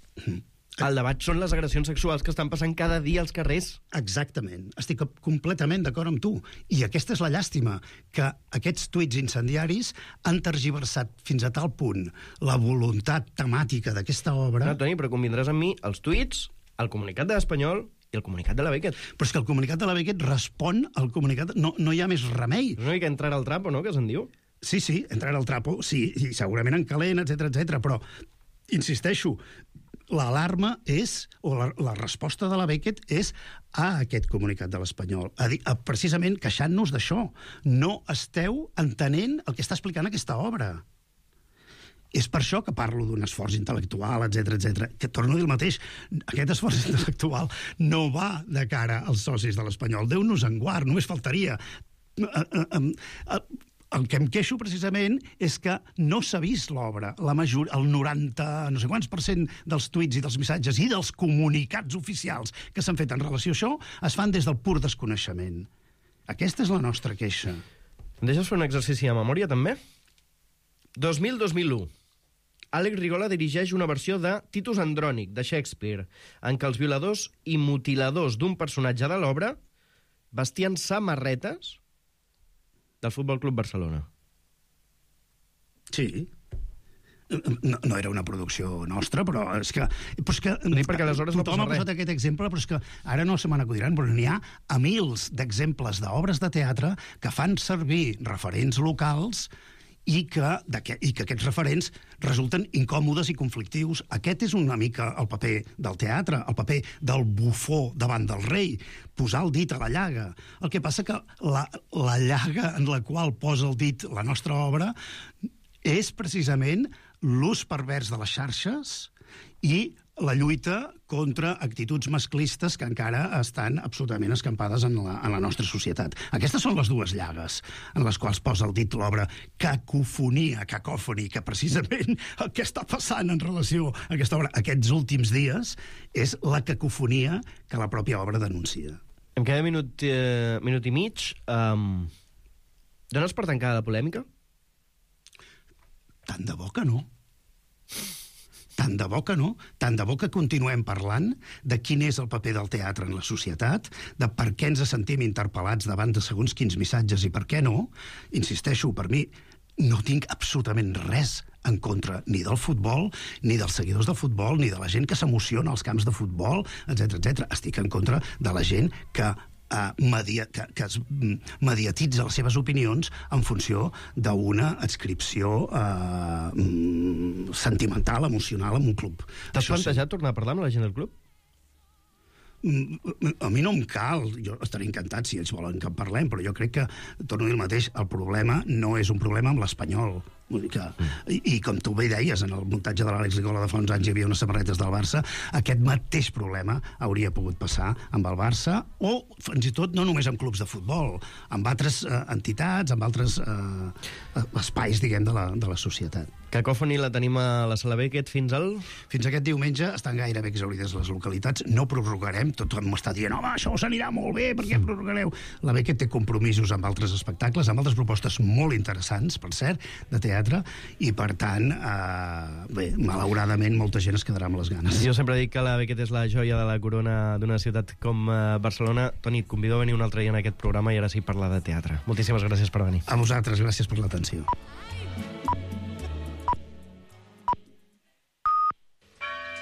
El debat són les agressions sexuals que estan passant cada dia als carrers. Exactament. Estic completament d'acord amb tu. I aquesta és la llàstima, que aquests tuits incendiaris han tergiversat fins a tal punt la voluntat temàtica d'aquesta obra... No, Toni, però convindràs amb mi els tuits, el comunicat de l'Espanyol i el comunicat de la Beckett. Però és que el comunicat de la Beckett respon al comunicat... No, no hi ha més remei. És una mica entrar al trapo, no?, que se'n diu. Sí, sí, entrar al trapo, sí, i segurament en calent, etcètera, etcètera, però, insisteixo, l'alarma és, o la, la resposta de la Beckett és a aquest comunicat de l'Espanyol, a dir, a, precisament queixant-nos d'això. No esteu entenent el que està explicant aquesta obra. És per això que parlo d'un esforç intel·lectual, etcètera, etcètera. Que torno a dir el mateix, aquest esforç intel·lectual no va de cara als socis de l'Espanyol. Déu-nos en guard, només faltaria. El que em queixo precisament és que no s'ha vist l'obra. La major, el noranta, no sé quants per cent dels tuits i dels missatges i dels comunicats oficials que s'han fet en relació a això es fan des del pur desconeixement. Aquesta és la nostra queixa. Em deixes fer un exercici de memòria, també? dos mil dos mil u. Àlex Rigola dirigeix una versió de Titus Andrònic, de Shakespeare, en què els violadors i mutiladors d'un personatge de l'obra vestien samarretes del Futbol Club Barcelona. Sí. No, no era una producció nostra, però és que... Però és que sí, perquè aleshores no tothom ha posat aquest exemple, però és que ara no se me n'acudiran, però n'hi ha a mils d'exemples d'obres de teatre que fan servir referents locals i que, que, i que aquests referents resulten incòmodes i conflictius. Aquest és una mica el paper del teatre, el paper del bufó davant del rei, posar el dit a la llaga. El que passa que la, la llaga en la qual posa el dit la nostra obra és precisament l'ús pervers de les xarxes i la lluita contra actituds masclistes que encara estan absolutament escampades en la, en la nostra societat. Aquestes són les dues llagues en les quals posa el dit l'obra Cacofonia, cacòfoni, que precisament el que està passant en relació a aquesta obra aquests últims dies és la cacofonia que la pròpia obra denuncia. Em queda minut, eh, minut i mig. Um, dones per tancada la polèmica? Tant de bo que no. Tant de bo que no, tant de bo que continuem parlant de quin és el paper del teatre en la societat, de per què ens sentim interpel·lats davant de segons quins missatges i per què no. Insisteixo, per mi no tinc absolutament res en contra ni del futbol, ni dels seguidors del futbol, ni de la gent que s'emociona als camps de futbol, etcètera, etcètera. Estic en contra de la gent que Uh, media, que, que es mediatitza les seves opinions en funció d'una adscripció uh, sentimental, emocional en un club. T'has plantejat sí. tornar a parlar amb la gent del club? A mi no em cal, jo estaré encantat si ells volen que en parlem, però jo crec que, torno a dir el mateix, el problema no és un problema amb l'Espanyol, Vull dir que, i, I com tu bé deies, en el muntatge de l'Àlex Ligola de fa uns anys hi havia unes samarretes del Barça, aquest mateix problema hauria pogut passar amb el Barça, o fins i tot no només amb clubs de futbol, amb altres eh, entitats, amb altres eh, espais, diguem, de la, de la societat. Cacòfoni la tenim a la Sala Beckett fins al... Fins aquest diumenge estan gairebé exaurides les localitats. No prorrogarem, tothom m'està dient home, això s'anirà molt bé, per què prorrogareu? La Beckett té compromisos amb altres espectacles, amb altres propostes molt interessants, per cert, de teatre, i per tant, eh, bé, malauradament, molta gent es quedarà amb les ganes. Jo sempre dic que la Beckett és la joia de la corona d'una ciutat com eh, Barcelona. Toni, et convido a venir un altre dia en aquest programa i ara sí parlar de teatre. Moltíssimes gràcies per venir. A vosaltres, gràcies per l'atenció.